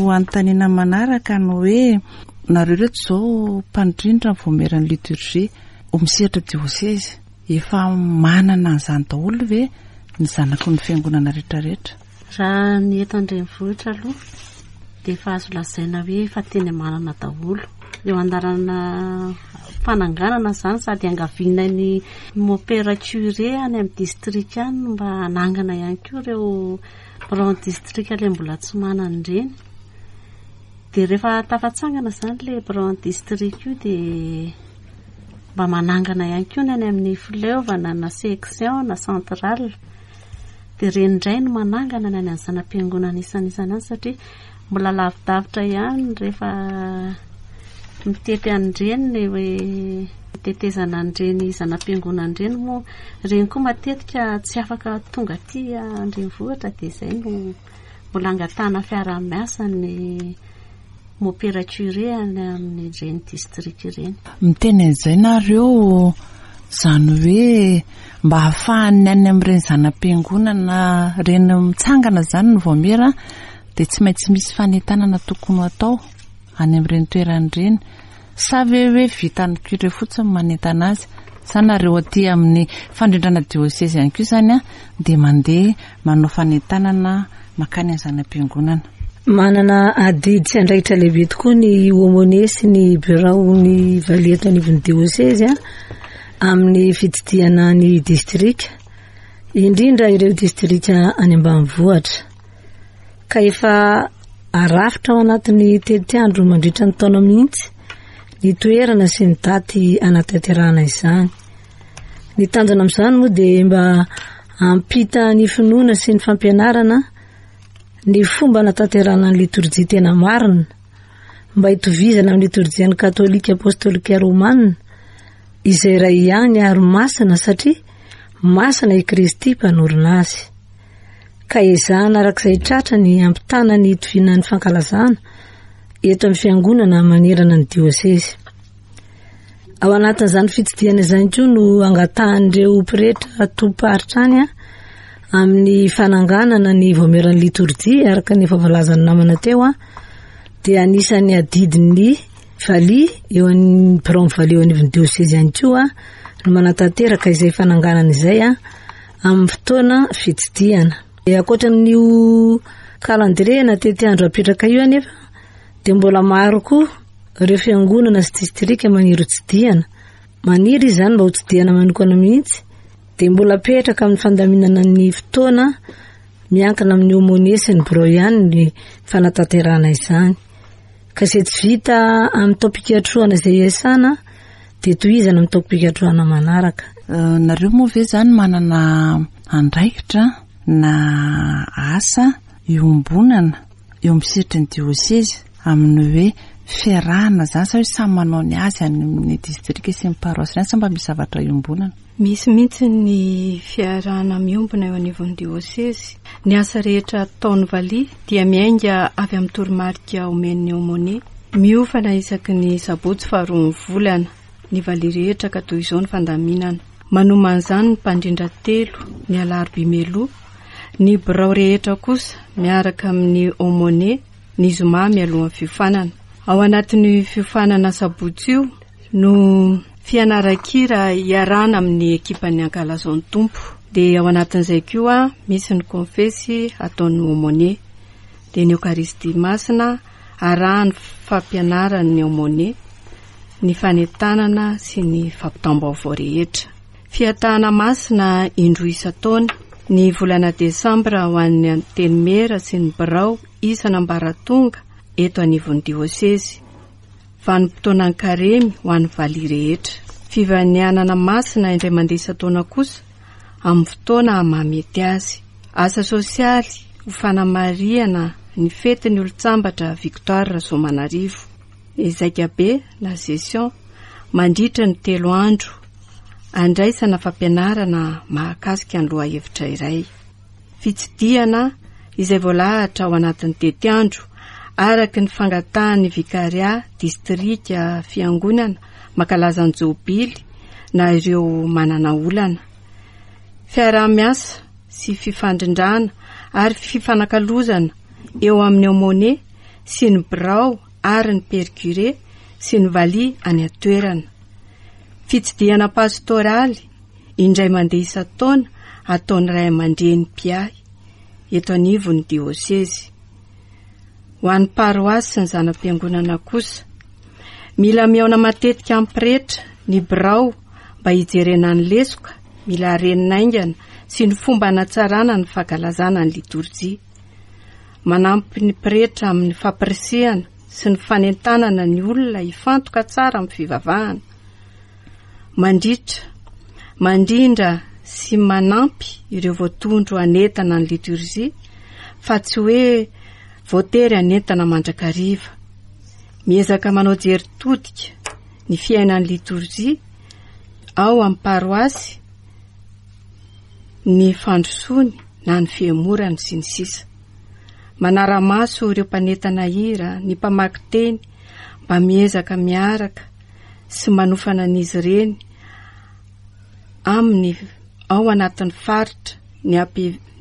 hanontaniana manaraka no hoe nareo ireto izao mpandrindra ny vaomieran'ny liturgie ho misehatra diosezy, efa manana an'izany daholo ve ny zanaky ny fiangonana rehetrarehetra? Raha ny eto an-drenivohitra aloha dia efa azo lazaina hoe efa teny manana daholo. Eo an-dalana fananganana izany sady iangaviana ny mopera curé any amin'ny distrika any mba hanangana ihany koa ireo biraon'ny distrika ilay mbola tsy manana ireny. Dia rehefa tafatsangana izany ilay biraon'ny distrika io dia mba manangana ihany koa ny any amin'ny fileovana na section na centrale. Dia ireny indray no manangana ny any amin'ny zana-piangonana isan'isany any satria mbola lavidavitra ihany rehefa mitety an'ireny ny hoe tetezana an'ireny zana-piangonana ireny moa ireny koa matetika tsy afaka tonga aty an-drenivohitra dia izay no mbola angatahana fiaraha-miasa ny Mopera curé any amin'ireny district ireny. Miteny an'izay nareo, izany hoe mba ahafahan'ny any amin'ireny zana-piangonana ireny mitsangana izany ny vaomiera dia tsy maintsy misy fanentanana tokony ho atao any amin'ireny toerana ireny. Sa ve hoe vitan'ny curé fotsiny ny manentana azy? Sa nareo aty amin'ny fandrindrana diocèse ihany koa izany dia mandeha manao fanentanana mankany amin'ny zana-piangonana? Manana adidy sy andraikitra lehibe tokoa ny aumônier sy ny biraon'ny valiha eto anivon'ny diosezy amin'ny fitsidihana ny distrika, indrindra ireo distrika any ambanivohitra. Ka efa arafitra ao anatin'ny tetiandro mandritra ny taona mihitsy ny toerana sy ny daty anatanterahana izany. Ny tanjona amin'izany moa dia mba hampita ny finoana sy ny fampianarana ny fomba anatanterahana ny litorjia tena marina, mba hitovizana amin'ny litorjian'ny katolika apostolika romana, izay iray ihany ary masina satria masina i Kristy mpanorina azy. Ka ezahana araka izay tratra ny hampitana ny hitoviana ny fankalazana eto amin'ny fiangonana manerana ny diosezy. Ao anatin'izany fitsidihana izany koa no angatahan'ireo pretra tompom-paritra any amin'ny fananganana ny vaomieran'ny litorjia araka ny efa voalazan'ny namana teo dia anisan'ny adidin'ny valiha eo amin'ny biraon'ny valiha eo anivon'ny diosezy ihany koa no manatanteraka izay fananganana izay amin'ny fotoana fitsidihana. Ankoatra an'io calendrier na tetiandro apetraka io anefa dia mbola maro koa ireo fiangonana sy distrika maniry hotsidihana. Maniry izy izany mba hotsidihana manokana mihitsy dia mbola apetraka amin'ny fandaminana ny fotoana miankina amin'ny aumônier sy ny birao ihany ny fanatanterahana izany. Ka izay tsy vita amin'ny taom-pikatrohana izay iasana dia tohizana amin'ny taom-pikatrohana manaraka. Nareo moa ve izany manana andraikitra? na asa iombonana eo amin'ny sehatry ny diosezy amin'ny hoe fiarahana izany sa hoe samy manao ny azy any amin'ny distrika sy ny paroasy any sa mba misy zavatra iombonana? Misy mihitsy ny fiarahana miombona eo anivon'ny diosezy. Ny asa rehetra ataon'ny valiha dia miainga avy amin'ny toromarika omen'ny aumônier. Miofana isaky ny sabotsy faharoan'ny volana ny valiha rehetra ka toy izao ny fandaminana. Manomana izany ny mpandrindra telo, ny alarobia mialoha, ny birao rehetra kosa miaraka amin'ny aumônier ny zoma mialohan'ny fiofanana. Ao anatin'io fiofanana sabotsy io no fianaran-kira iarahana amin'ny ekipan'ny Ankalazao ny Tompo. Dia ao anatin'izay koa misy ny konfesy ataon'ny aumônier. Dia ny Eokaristia Masina arahan'ny fampianaran'ny aumônier, ny fanentanana sy ny fampitam-baovao rehetra. Fihatahana masina indroa isan-taona, ny volana desambra ho an'ny Antenimiera sy ny birao isan'ambaratonga eto anivon'ny diosezy. Vanim-potoanan'ny karemy ho an'ny valiha rehetra. Fivanianana masina indray mandeha isan-taona kosa amin'ny fotoana mahamety azy. Asa sosialy ho fanamarihana ny fetin'ny olon-tsambatra Victoire Rasoamanarivo. Ny zaikabe na session mandritra ny telo andro andraisana fampianarana mahakasika ny lohahevitra iray. Fitsidihana izay voalahatra ao anatin'ny tetiandro araka ny fangatahan'ny Vikaria Distrika Fiangonana mankalaza ny Jobily na ireo manana olana. Fiaraha-miasa sy fifandrindrana ary fifanakalozana eo amin'ny aumônier sy ny birao ary ny père curé sy ny valiha any an-toerana. Fitsidihana pastoraly indray mandeha isan-taona ataon'ny ray aman-dreny mpiahy eto anivon'ny diosezy. Ho an'ny paroasy sy ny zana-piangonana kosa, mila mihaona matetika amin'ny pretra ny birao mba hijerena ny lesoka mila harenina haingana sy ny fomba hanatsarana ny fankalazana ny litorjia. Manampy ny pretra amin'ny fampirisihana sy ny fanentanana ny olona hifantoka tsara amin'ny fivavahana. Mandritra, mandrindra sy manampy ireo voatondro hanentana ny liturgie fa tsy hoe voatery hanentana mandrakariva. Miezaka manao jery todika ny fiainan'ny liturgie ao amin'ny paroasy, ny fandrosoany na ny fihemorany sy ny sisa. Manara-maso ireo mpanentana hira, ny mpamaky teny mba miezaka miaraka sy manofana an'izy ireny amin'ny ao anatin'ny faritra ny AP,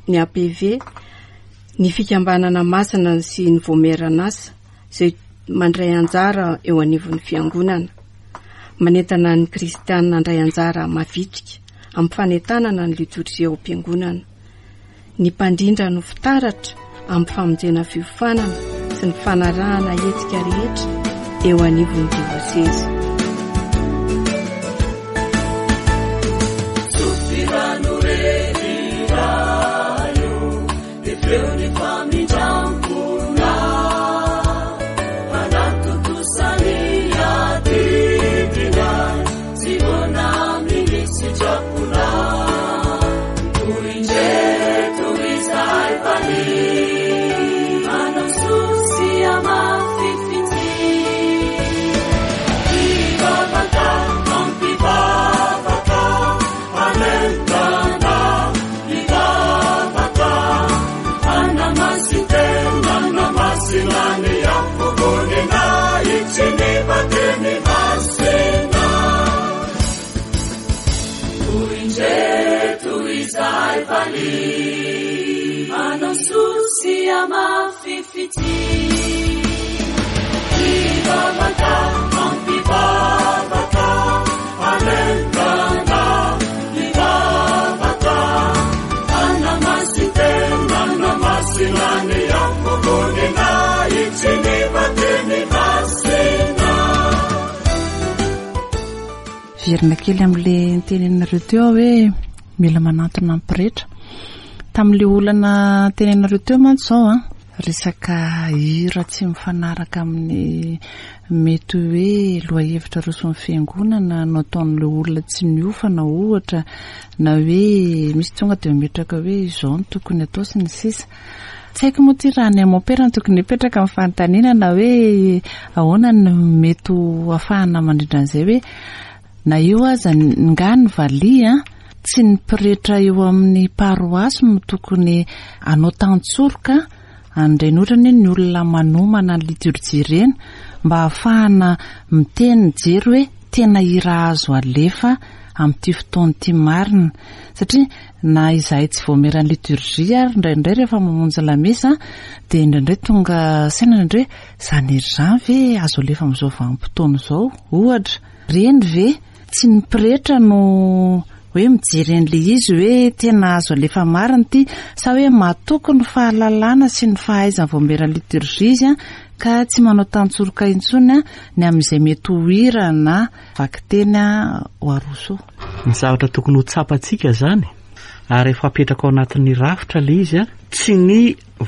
ny APV, ny fikambanana masina sy ny voamieran'asa izay mandray anjara eo anivon'ny fiangonana. Manentana ny kristiana handray anjara mavitrika amin'ny fanentanana ny litorjia ao am-piangonana. Ny mpandrindra no fitaratra amin'ny famonjena fiofanana sy ny fanarahana hetsika rehetra eo anivon'ny diosezy. Miverina kely amin'ilay niteneninareo teo aho hoe mila manantona ny pretra. Tamin'ilay olana teneninareo teo mantsy izao an. Resaka hira tsy mifanaraka amin'ny mety hoe lohahevitra aroson'ny fiangonana no ataon'ilay olona tsy niofana ohatra na hoe misy tonga dia mametraka hoe izao no tokony atao sy ny sisa. Tsy haiko moa ity raha any amin'ny mompera no tokony hipetraka ny fanontaniana na hoe ahoana no mety ho ahafahana mandrindra an'izay hoe Na eo aza nga ny valiha, tsy ny pretra eo amin'ny paroasy no tokony hanao tantsoroka an'ireny otrany hoe ny olona manomana ny liturjia ireny mba hahafahana miteny mijery hoe tena hira azo alefa amin'ity fotoana ity marina satria na izahay tsy voameran'ny liturjia ary indraindray rehefa mamonjy lamesa dia indraindray tonga saina indraindray hoe izany hira izany ve azo alefa amin'izao vanim-potoana izao ohatra Reny ve tsy ny pretra no hoe mijery an'ilay izy hoe tena azo alefa marina ity sa hoe matoky ny fahalalana sy ny fahaizany vaomiera liturgie izy ka tsy manao tantsoroka intsony ny amin'izay mety ho hira na vakiteny ho aroso eo. Ny zavatra tokony ho tsapantsika izany ary efa apetraka ao anatin'ny rafitra ilay izy, tsy ny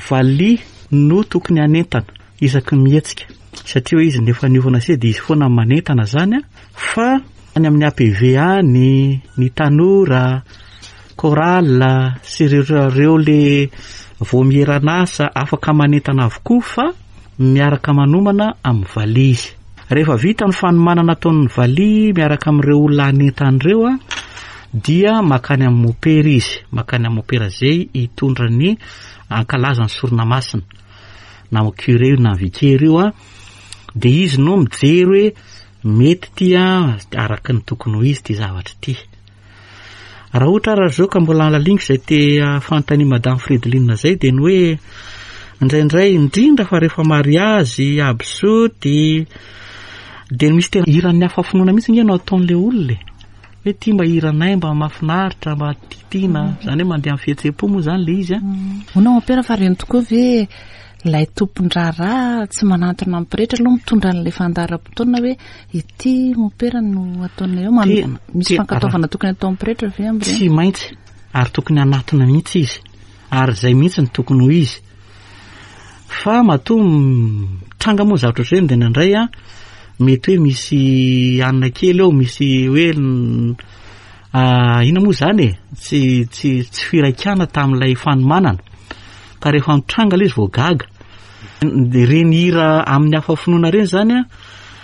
valiha no tokony hanentana isaky ny mihetsika satria hoe izy no efa niofana se dia izy foana no manentana zany a fa any amin'ny APV any ny tanora chorale sy ireo ireo le vaomieran'asa afaka manentana avokoa fa miaraka manomana amin'ny valiha izy. Rehefa vita ny fanomanana ataon'ny valiha miaraka amin'ireo olona hanentana ireo a dia makany amin'ny mopera izy, makany amin'ny mopera izay hitondra ny hankalaza ny sorona masina. na curé io na vicaire io a, de izy no mijery hoe mety ity a, araka ny tokony ho izy ity zavatra ity. Raha ohatra ary zao ka mbola laliniko izay te fanontania madame Fredeline zay de ny hoe indraindray indrindra fa rehefa mariazy, absoty, de misy tena hiran'ny hafa finoana mihitsy nge no ataon'le olona e. Hoe ty mba hiranay mba mahafinaritra mba tiatiana, zany hoe mandeha amin'ny fihetseham-po moa zany le izy a. Hono aho mompera fa reny tokoa ve ilay tompon-draharaha tsy manantona ny pretra aloha mitondra an'ilay fandaharam-potoana hoe ity mompera no ataonay eo, misy fankatoavana tokony ataon'ny pretra ve amin'ireny? Tsy maintsy ary tokony hanatona mihitsy izy ary izay mihitsy no tokony ho izy. Fa matoa mitranga moa zavatra ohatr'ireny dia indraindray an, mety hoe misy hanina kely eo, misy hoe inona moa izany e, tsy tsy tsy firaikana tamin'ilay fanomanana. Ka rehefa mitranga ilay izy vao gaga. Ireny hira amin'ny hafa finoana ireny izany an,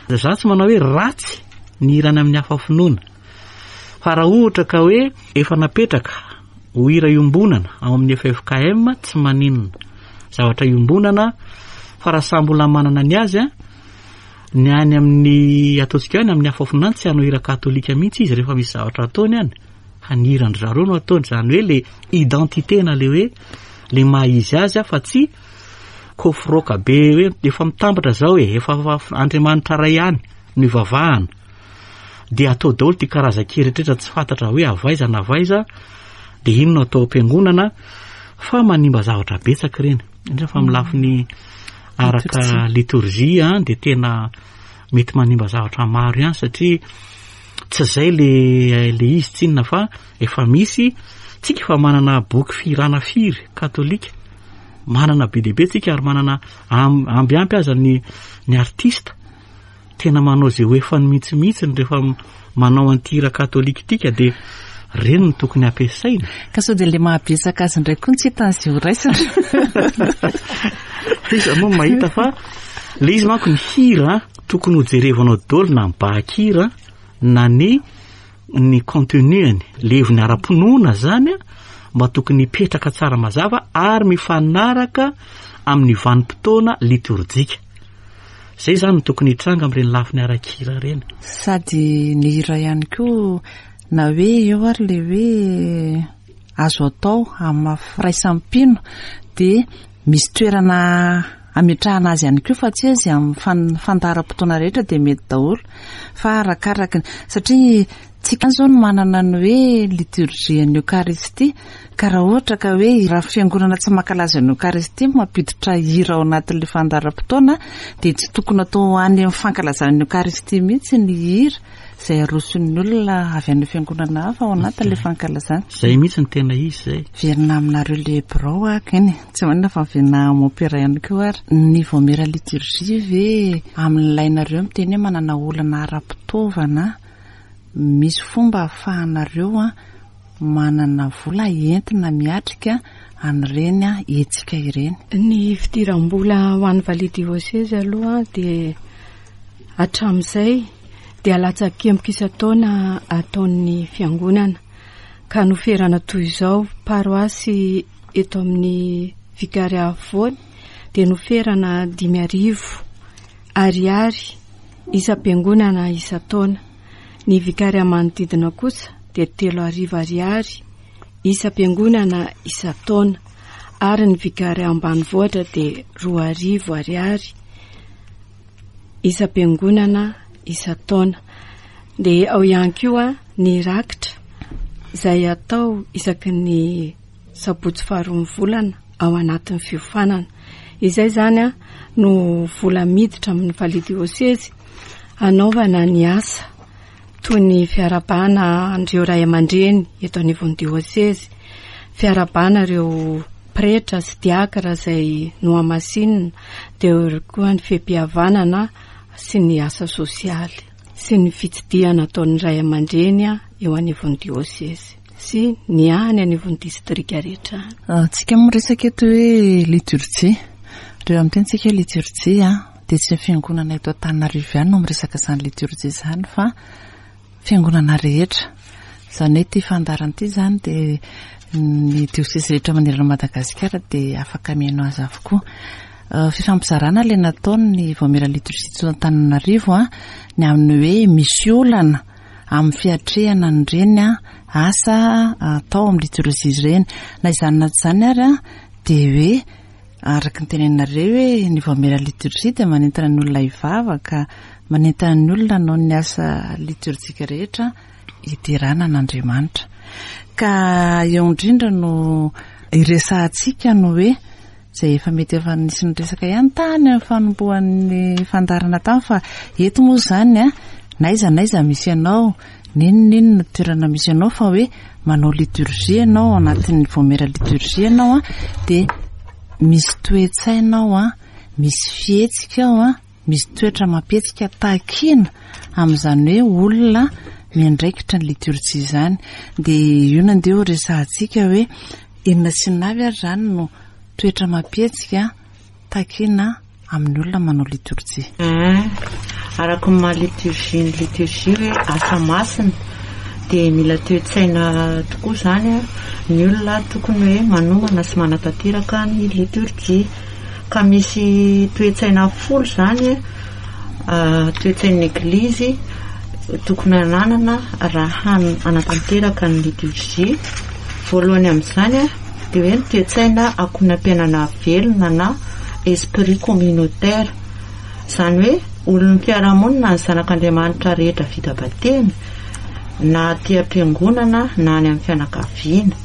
za tsy manao hoe ratsy ny hira any amin'ny hafa finoana. Fa raha ohatra ka hoe efa napetraka ho hira iombonana ao amin'ny ffkm tsy maninona. Zavatra iombonana fa raha samy mbola manana ny azy an, ny any amin'ny ataontsika hoe any amin'ny hafa finoana tsy hanao hira katolika mihitsy izy rehefa misy zavatra ataony any fa ny hiran-dry zareo no ataony, izany hoe le identité na le hoe le maha izy azy fa tsy kofroka be hoe efa mitambatra zao e, efa Andriamanitra ray ihany no ivavahana. dia atao daholo ity karazan-kira rehetra tsy fantatra hoe avy aiza na avy aiza dia iny no atao am-piangonana fa manimba zavatra betsaka ireny indrindra fa amin'ny lafiny araka litorjia dia tena mety manimba zavatra maro ihany satria tsy izay le le izy tsinona fa efa misy tsika efa manana boky fihirana firy katolika manana be dia be tsika ary manana ambiampy aza ny ny artista Tena manao izay ho efany mihitsy mihitsy rehefa manao an'ity hira katolika ity ka dia ireny no tokony hampiasaina. Ka sao dia ilay mahabetsaka azy indray koa no tsy hitany izay ho raisina. Iza moa mahita fa ilay izy manko ny hira tokony ho jerevanao daholo na ny bahan-kira na ny ny contenu-ny, le heviny ara-pinoana zany mba tokony hipetraka tsara mazava ary mifanaraka amin'ny vanim-potoana litorjika. Zay zany no tokony hitranga amin'ireny lafiny ara-kira ireny. Sady ny hira ihany koa na hoe eo ary le hoe azo atao amin'ny maha firaisam-pino dia misy toerana ametrahana azy ihany koa fa tsy hoe izay amin'ny fandaharam-potoana rehetra dia mety daholo fa arakaraky ny satria tsika izao no manana ny hoe liturgie ny Eokaristia ka raha ohatra ka hoe raha fiangonana tsy mankalaza ny Eokaristia no mampiditra hira ao anatin'ilay fandaharam-potoana dia tsy tokony atao any amin'ny fankalazana ny Eokaristia mihitsy ny hira. izay aroson'ny olona avy any fiangonana hafa ao anatin'ilay fankalazana. Izay mihitsy no tena izy izay. Miverina aminareo le birao aho keny, tsy maninona fa miverina amin'ny mompera ihany koa ary. Ny vaomiera liturgie ve amin'ilay nareo miteny hoe manana olana ara-pitaovana, misy fomba ahafahanareo manana vola entina miatrika an'ireny hetsika ireny? Ny fidiram-bola ho an'ny valiha diosezy aloha dia hatramin'izay dia latsakemboka isan-taona ataon'ny fiangonana ka noferana toy izao, paroasy eto amin'ny Vicaria afovoany dia noferana 5000 ariary isam-piangonana isan-taona, ny Vicaria manodidina kosa dia 3000 ariary isam-piangonana isan-taona ary ny Vicaria ambanivohitra dia 2000 ariary isam-piangonana isan-taona. Dia ao ihany koa ny rakitra izay atao isaky ny sabotsy faharoan'ny volana ao anatin'ny fiofanana. Izay izany no vola miditra amin'ny valiha diosezy hanaovana ny asa toy ny fiarahabana an'ireo ray aman-dreny eto anivon'ny diosezy, fiarahabana ireo pretra sy diakra izay nohamasinina, dia eo ihany koa ny fehim-pihavanana sy ny asa sosialy sy ny fitsidihana ataon'ny ray aman-dreny eo anivon'ny diosezy sy ny any anivon'ny distrika rehetra any. Tsika miresaka eto hoe liturjia. Rehefa miteny tsika hoe liturjia dia tsy ny fiangonana eto Antananarivo ihany no miresaka izany liturjia izany fa fiangonana rehetra. Izany hoe ity fandaharana ity izany dia ny diosezy rehetra manerana an'i Madagasikara dia afaka mihaino azy avokoa. Fifampizarana ilay nataon'ny Vaomiera Liturgie teto Antananarivo ny amin'ny hoe misy olana amin'ny fiatrehana an'ireny asa atao amin'ny liturgie ireny. Na izany na tsy izany ary dia hoe Araka ny teneninareo hoe ny vaomiera liturgie dia manentana ny olona hivavaka, manentana ny olona hanao ny asa liturjika rehetra hiderana an'Andriamanitra. Ka eo indrindra no iresahantsika ny hoe izay efa mety efa nisy niresaka ihany tany amin'ny fanombohan'ny fandaharana tany fa eto moa izany an, na aiza na aiza misy anao, N'inon'inona toerana misy anao fa hoe manao liturgie ianao ao anatin'ny vaomiera liturgie ianao an, dia misy toe-tsaina ao an, misy fihetsika ao an, misy toetra amam-pihetsika takiana amin'izany hoe olona miandraikitra ny liturgie izany. Dia io no andeha ho resahantsika hoe inona sy inona avy ary izany no toetra amam-pihetsika takiana amin'ny olona manao litorjia. Eeh, araka ny maha liturgie ny liturgie hoe asa masina dia mila toe-tsaina tokoa izany ny olona tokony hoe manomana sy manatanteraka ny liturgie. Ka misy toe-tsaina folo izany toe-tsain'ny Eglizy tokony hananana raha hanatanteraka ny liturgie. Voalohany amin'izany dia hoe ny toe-tsaina ankohonam-piainana velona na esprit communautaire. Izany hoe olon'ny mpiara-monina ny zanak'Andriamanitra rehetra vita batemy na aty am-piangonana na any amin'ny fianakaviana.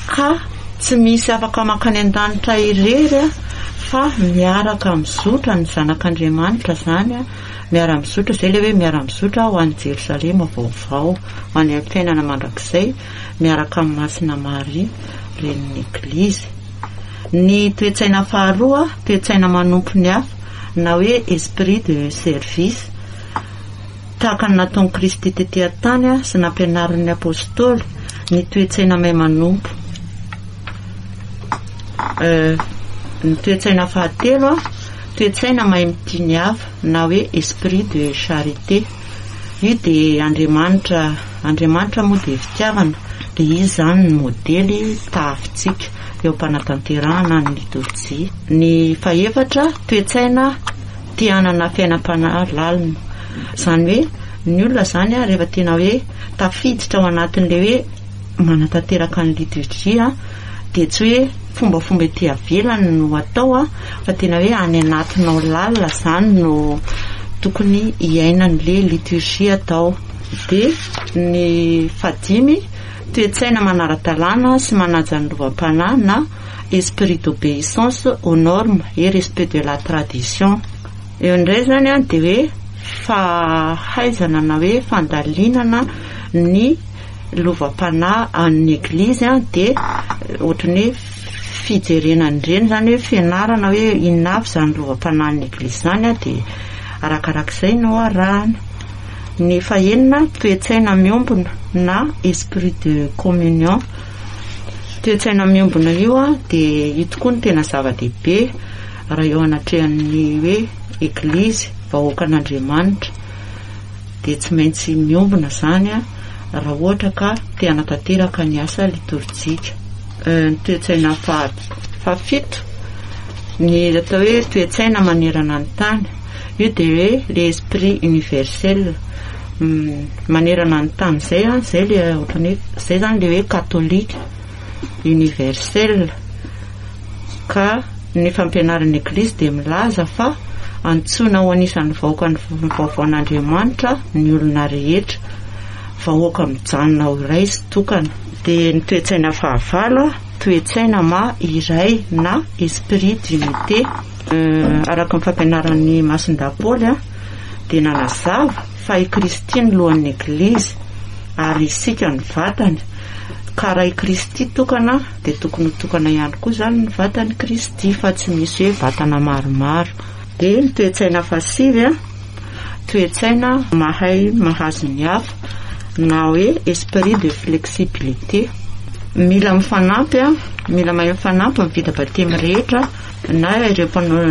Ka tsy misy afaka mankany an-danitra irery fa miaraka mizotra ny zanak'Andriamanitra izany, miara-mizotra, izay ilay hoe miara-mizotra ho any Jerosalema vaovao, ho any amin'ny fiainana mandrakizay miaraka amin'i Masina Maria, Renin'ny Eglizy. Ny toe-tsaina faharoa, toe-tsaina manompo ny hafa, na hoe esprit de service. Tahaka ny nataon'i Kristy tetỳ an-tany sy nampianariny ny Apôstôly, ny toe-tsaina mahay manompo. Ny toe-tsaina fahatelo, toe-tsaina mahay mitia ny hafa, na hoe esprit de charité. Io dia Andriamanitra, Andriamanitra moa dia fitiavana, dia Izy izany no modely tahafintsika eo am-panatanterahana ny litorjia. Ny fahefatra, toe-tsaina te hanana fiainam-panahy lalina. Izany hoe ny olona izany rehefa tena hoe tafiditra ao anatin'ilay hoe manatanteraka ny litorjia dia tsy hoe fombafomba ety avelany no atao fa tena hoe any anatinao lalina izany no tokony hiainan'ilay liturgie atao. Dia ny fahadimy, toe-tsaina manara-dalàna sy manaja ny lovam-panahy na esprit d'obéissance aux normes et respect de la tradition. Eo indray izany dia hoe. fahaizana na hoe fandalinana ny lovam-panahy an'ny Eglizy dia ohatran'ny hoe fijerena an'ireny izany hoe fianarana hoe inona avy izany lovam-panahin'ny Eglizy izany dia arakarak'izay no arahana. Ny fahenina, toe-tsaina miombona na esprit de communion. Toe-tsaina miombona io dia io tokoa no tena zava-dehibe raha eo anatrehan'ny hoe Eglizy, vahoakan'Andriamanitra. Dia tsy maintsy miombona izany raha ohatra ka te hanatanteraka ny asa litorjika. Ny toe-tsaina fahafito, ny atao hoe toe-tsaina manerana ny tany, io dia hoe l'esprit universel, manerana ny tany izay, izay le ohatran'ny hoe, izay izany le hoe katolika universel. Ka ny fampianaran'ny Eglizy dia milaza fa antsoina ho anisan'ny vahoakan'ny vaovaon'Andriamanitra ny olona rehetra, vahoaka mijanona ho iray sy tokana. Dia ny toe-tsaina fahavalo, toe-tsaina maha iray na esprit d'unité. Araka ny fampianaran'i Masindahy Paoly dia nanazava fa i Kristy no lohan'ny Eglizy ary isika no vatany, ka raha i Kristy tokana dia tokony ho tokana ihany koa izany ny vatan'i Kristy fa tsy misy hoe vatana maromaro. Dia ny toe-tsaina fahasivy, toe-tsaina mahay mahazo ny hafa na hoe esprit de flexibilité. Mila mifanampy, mila mahay mifanampy ny vita batemy rehetra na ireo mpanao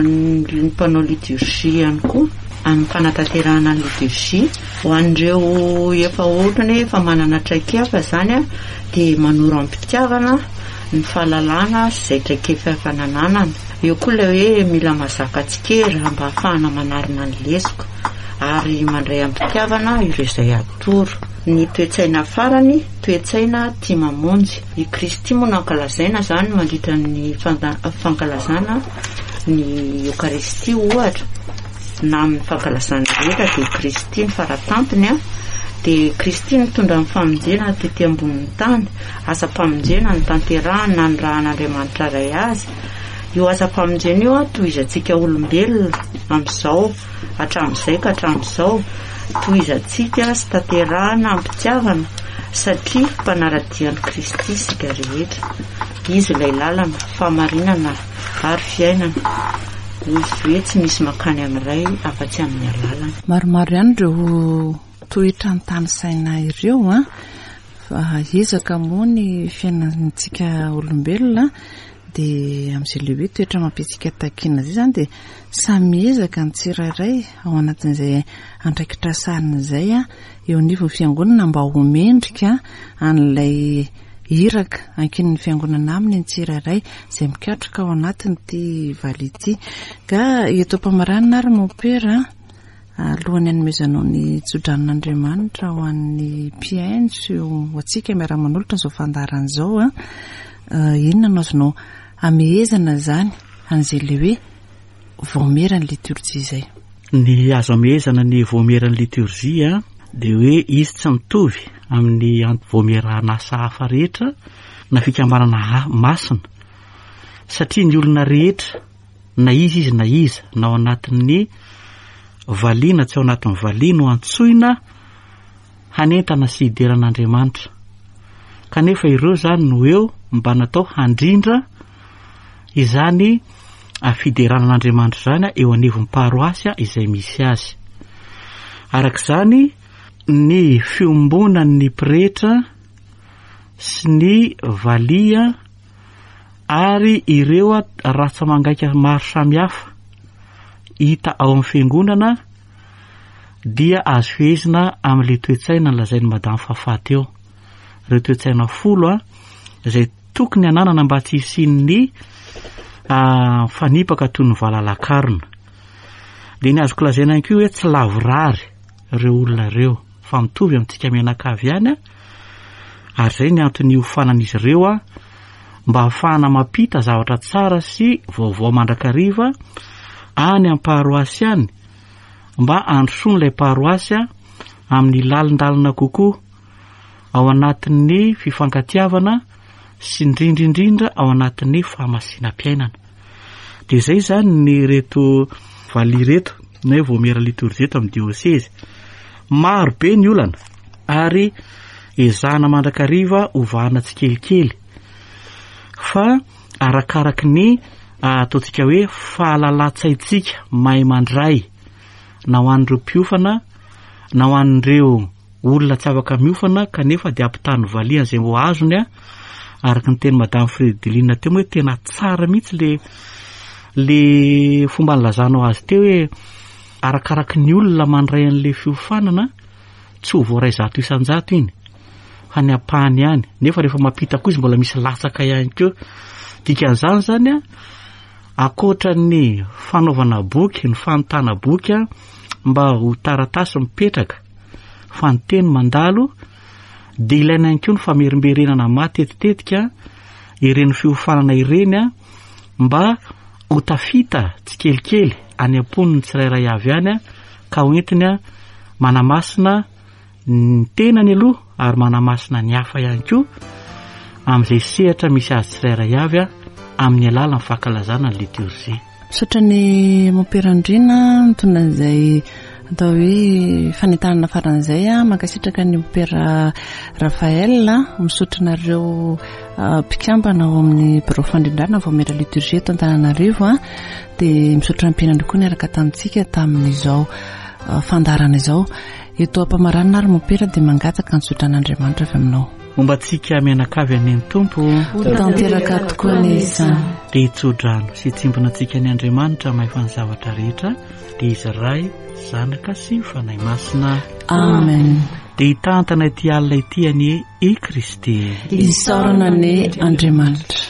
mpanao liturgie ihany koa amin'ny fanatanterahana ny liturgie. Ho an'ireo efa ohatrany hoe efa manana traikefa izany dia manoro amim-pitiavana ny fahalalana sy izay traikefa efa nananana. Eo koa ilay hoe mila mazaka tsikera mba hahafahana manarina ny lesoka ary mandray amim-pitiavana ireo izay atoro. Ny toe-tsaina farany, toe-tsaina tia mamonjy. I Kristy moa no ankalazaina izany mandritra ny fankalazana ny Eokaristia ohatra. na amin'ny fankalazana rehetra dia Kristy ny faratampony a, dia Kristy nitondra ny famonjena tety ambonin'ny tany, asam-pamonjena notanterahany nanirahan'Andriamanitra Ray azy, io asam-pamonjena io a tohizantsika olombelona amin'izao hatramin'izay ka hatramin'izao, tohizantsika sy tanterahana am-pitiavana satria mpanara-dia an'i Kristy isika rehetra, Izy ilay lalana, fahamarinana ary fiainana. Hoy izy hoe tsy misy mankany amin'ny Ray afa-tsy amin'ny alalany. Maromaro ihany ireo toetra notanisaina ireo an, fa ezaka moa ny fiainantsika olombelona dia amin'izay ilay hoe toetra mampiantsika takiana izay izany dia samy miezaka ny tsirairay ao anatin'izay andraikitra sahaniny izay an, eo anivon'ny fiangonana mba ho mendrika an'ilay iraka ankinin'ny fiangonana aminy ny tsirairay izay mikatroka ao anatin'ity valiha ity. Ka eto am-pamaranana ary Mompera, alohan'ny hanomezanao ny tsodranon'Andriamanitra ho an'ny mpihaino sy ho antsika miara-manolotra izao fandaharana izao, inona no azonao amehezana izany an'izay ilay hoe vaomieran'ny litorjia izay? Ny azo amehezana ny vaomieran'ny litorjia dia hoe izy tsy mitovy amin'ny vaomieran'asa hafa rehetra na fikambanana masina satria ny olona rehetra na iza izy na iza na ao anatin'ny valiha na tsy ao anatin'ny valiha no antsoina hanentana sy hidera an'Andriamanitra. Kanefa ireo izany no eo mba natao handrindra izany fiderana an'Andriamanitra izany eo anivon'ny paroasy izay misy azy. Araka izany, ny fiombonan'ny pretra sy ny valiha ary ireo ratsa-mangaika maro samihafa hita ao amin'ny fiangonana dia azo fehezina amin'ilay toe-tsaina nolazain'i Madame Fafa teo. Ireo toe-tsaina folo a, izay tokony hananana mba tsy hisian'ny mifanipaka toy ny valalakarona. Dia ny azoko lazaina ihany koa hoe tsy lavorary ireo olona ireo fa mitovy amintsika mianakavy ihany a, ary izay ny antony hiofanan'izy ireo a, mba hahafahana mampita zavatra tsara sy vaovao mandrakariva any am-paroasy any mba handrosoan'ilay paroasy amin'ny lalindalina kokoa ao anatin'ny fifankatiavana sy indrindra indrindra ao anatin'ny fahamasinam-piainana. Dia izay izany ny ireto valiha ireto. ny hoe vaomiera litorjia eto amin'ny diosezy. Maro be ny olana ary ezahana mandrakariva hovahana tsikelikely fa arakaraky ny ataontsika hoe fahalalan-tsaintsika mahay mandray na ho an'ireo mpiofana na ho an'ireo olona tsy afaka miofana kanefa dia ampitany valiha izay ho azony a araka ny teny madame Fredeline teo moa hoe tena tsara mihitsy le le fomba nilazanao azy teo hoe arakaraky ny olona mandray an'le fiofanana tsy ho voaray 100% iny fa ny ampahany ihany nefa rehefa mampita koa izy mbola misy latsaka ihany koa dikan'izany zany a ankoatra ny fanaovana boky ny fanontana boky a mba ho taratasy mipetraka fa ny teny mandalo dia ilaina ihany koa ny famerimberenana matetitetika ireny fiofanana ireny a mba ho tafita tsikelikely any am-pon'ny tsirairay avy any a ka ho entiny a manamasina ny tenany aloha ary manamasina ny hafa ihany koa amin'izay sehatra misy azy tsirairay avy a amin'ny alalan'ny fankalazana ny liturgie. Misaotra ny Mompera Andriana nitondra an'izay atao hoe fanentanana faran'izay a. Mankasitraka ny Mompera Raphaël, misaotra anareo mpikambana ao amin'ny birao fandrindrana Vaomiera Liturgie eto Antananarivo a. Dia misaotra ny mpianany koa niaraka tamintsika tamin'izao fandaharana izao. Eto am-pamaranana ary Mompera dia mangataka ny zotran'Andriamanitra avy aminao. Momba antsika mianakavy anie ny Tompo. Ho tanteraka tokoa anie izany. Dia hitso-drano sy hitsimbina antsika ny Andriamanitra mahefa ny zavatra rehetra, dia Izy Ray, Zanaka sy Fanahy Masina. Amen. Dia hitantana ity alina ity anie i Kristy. Isaorana anie Andriamanitra.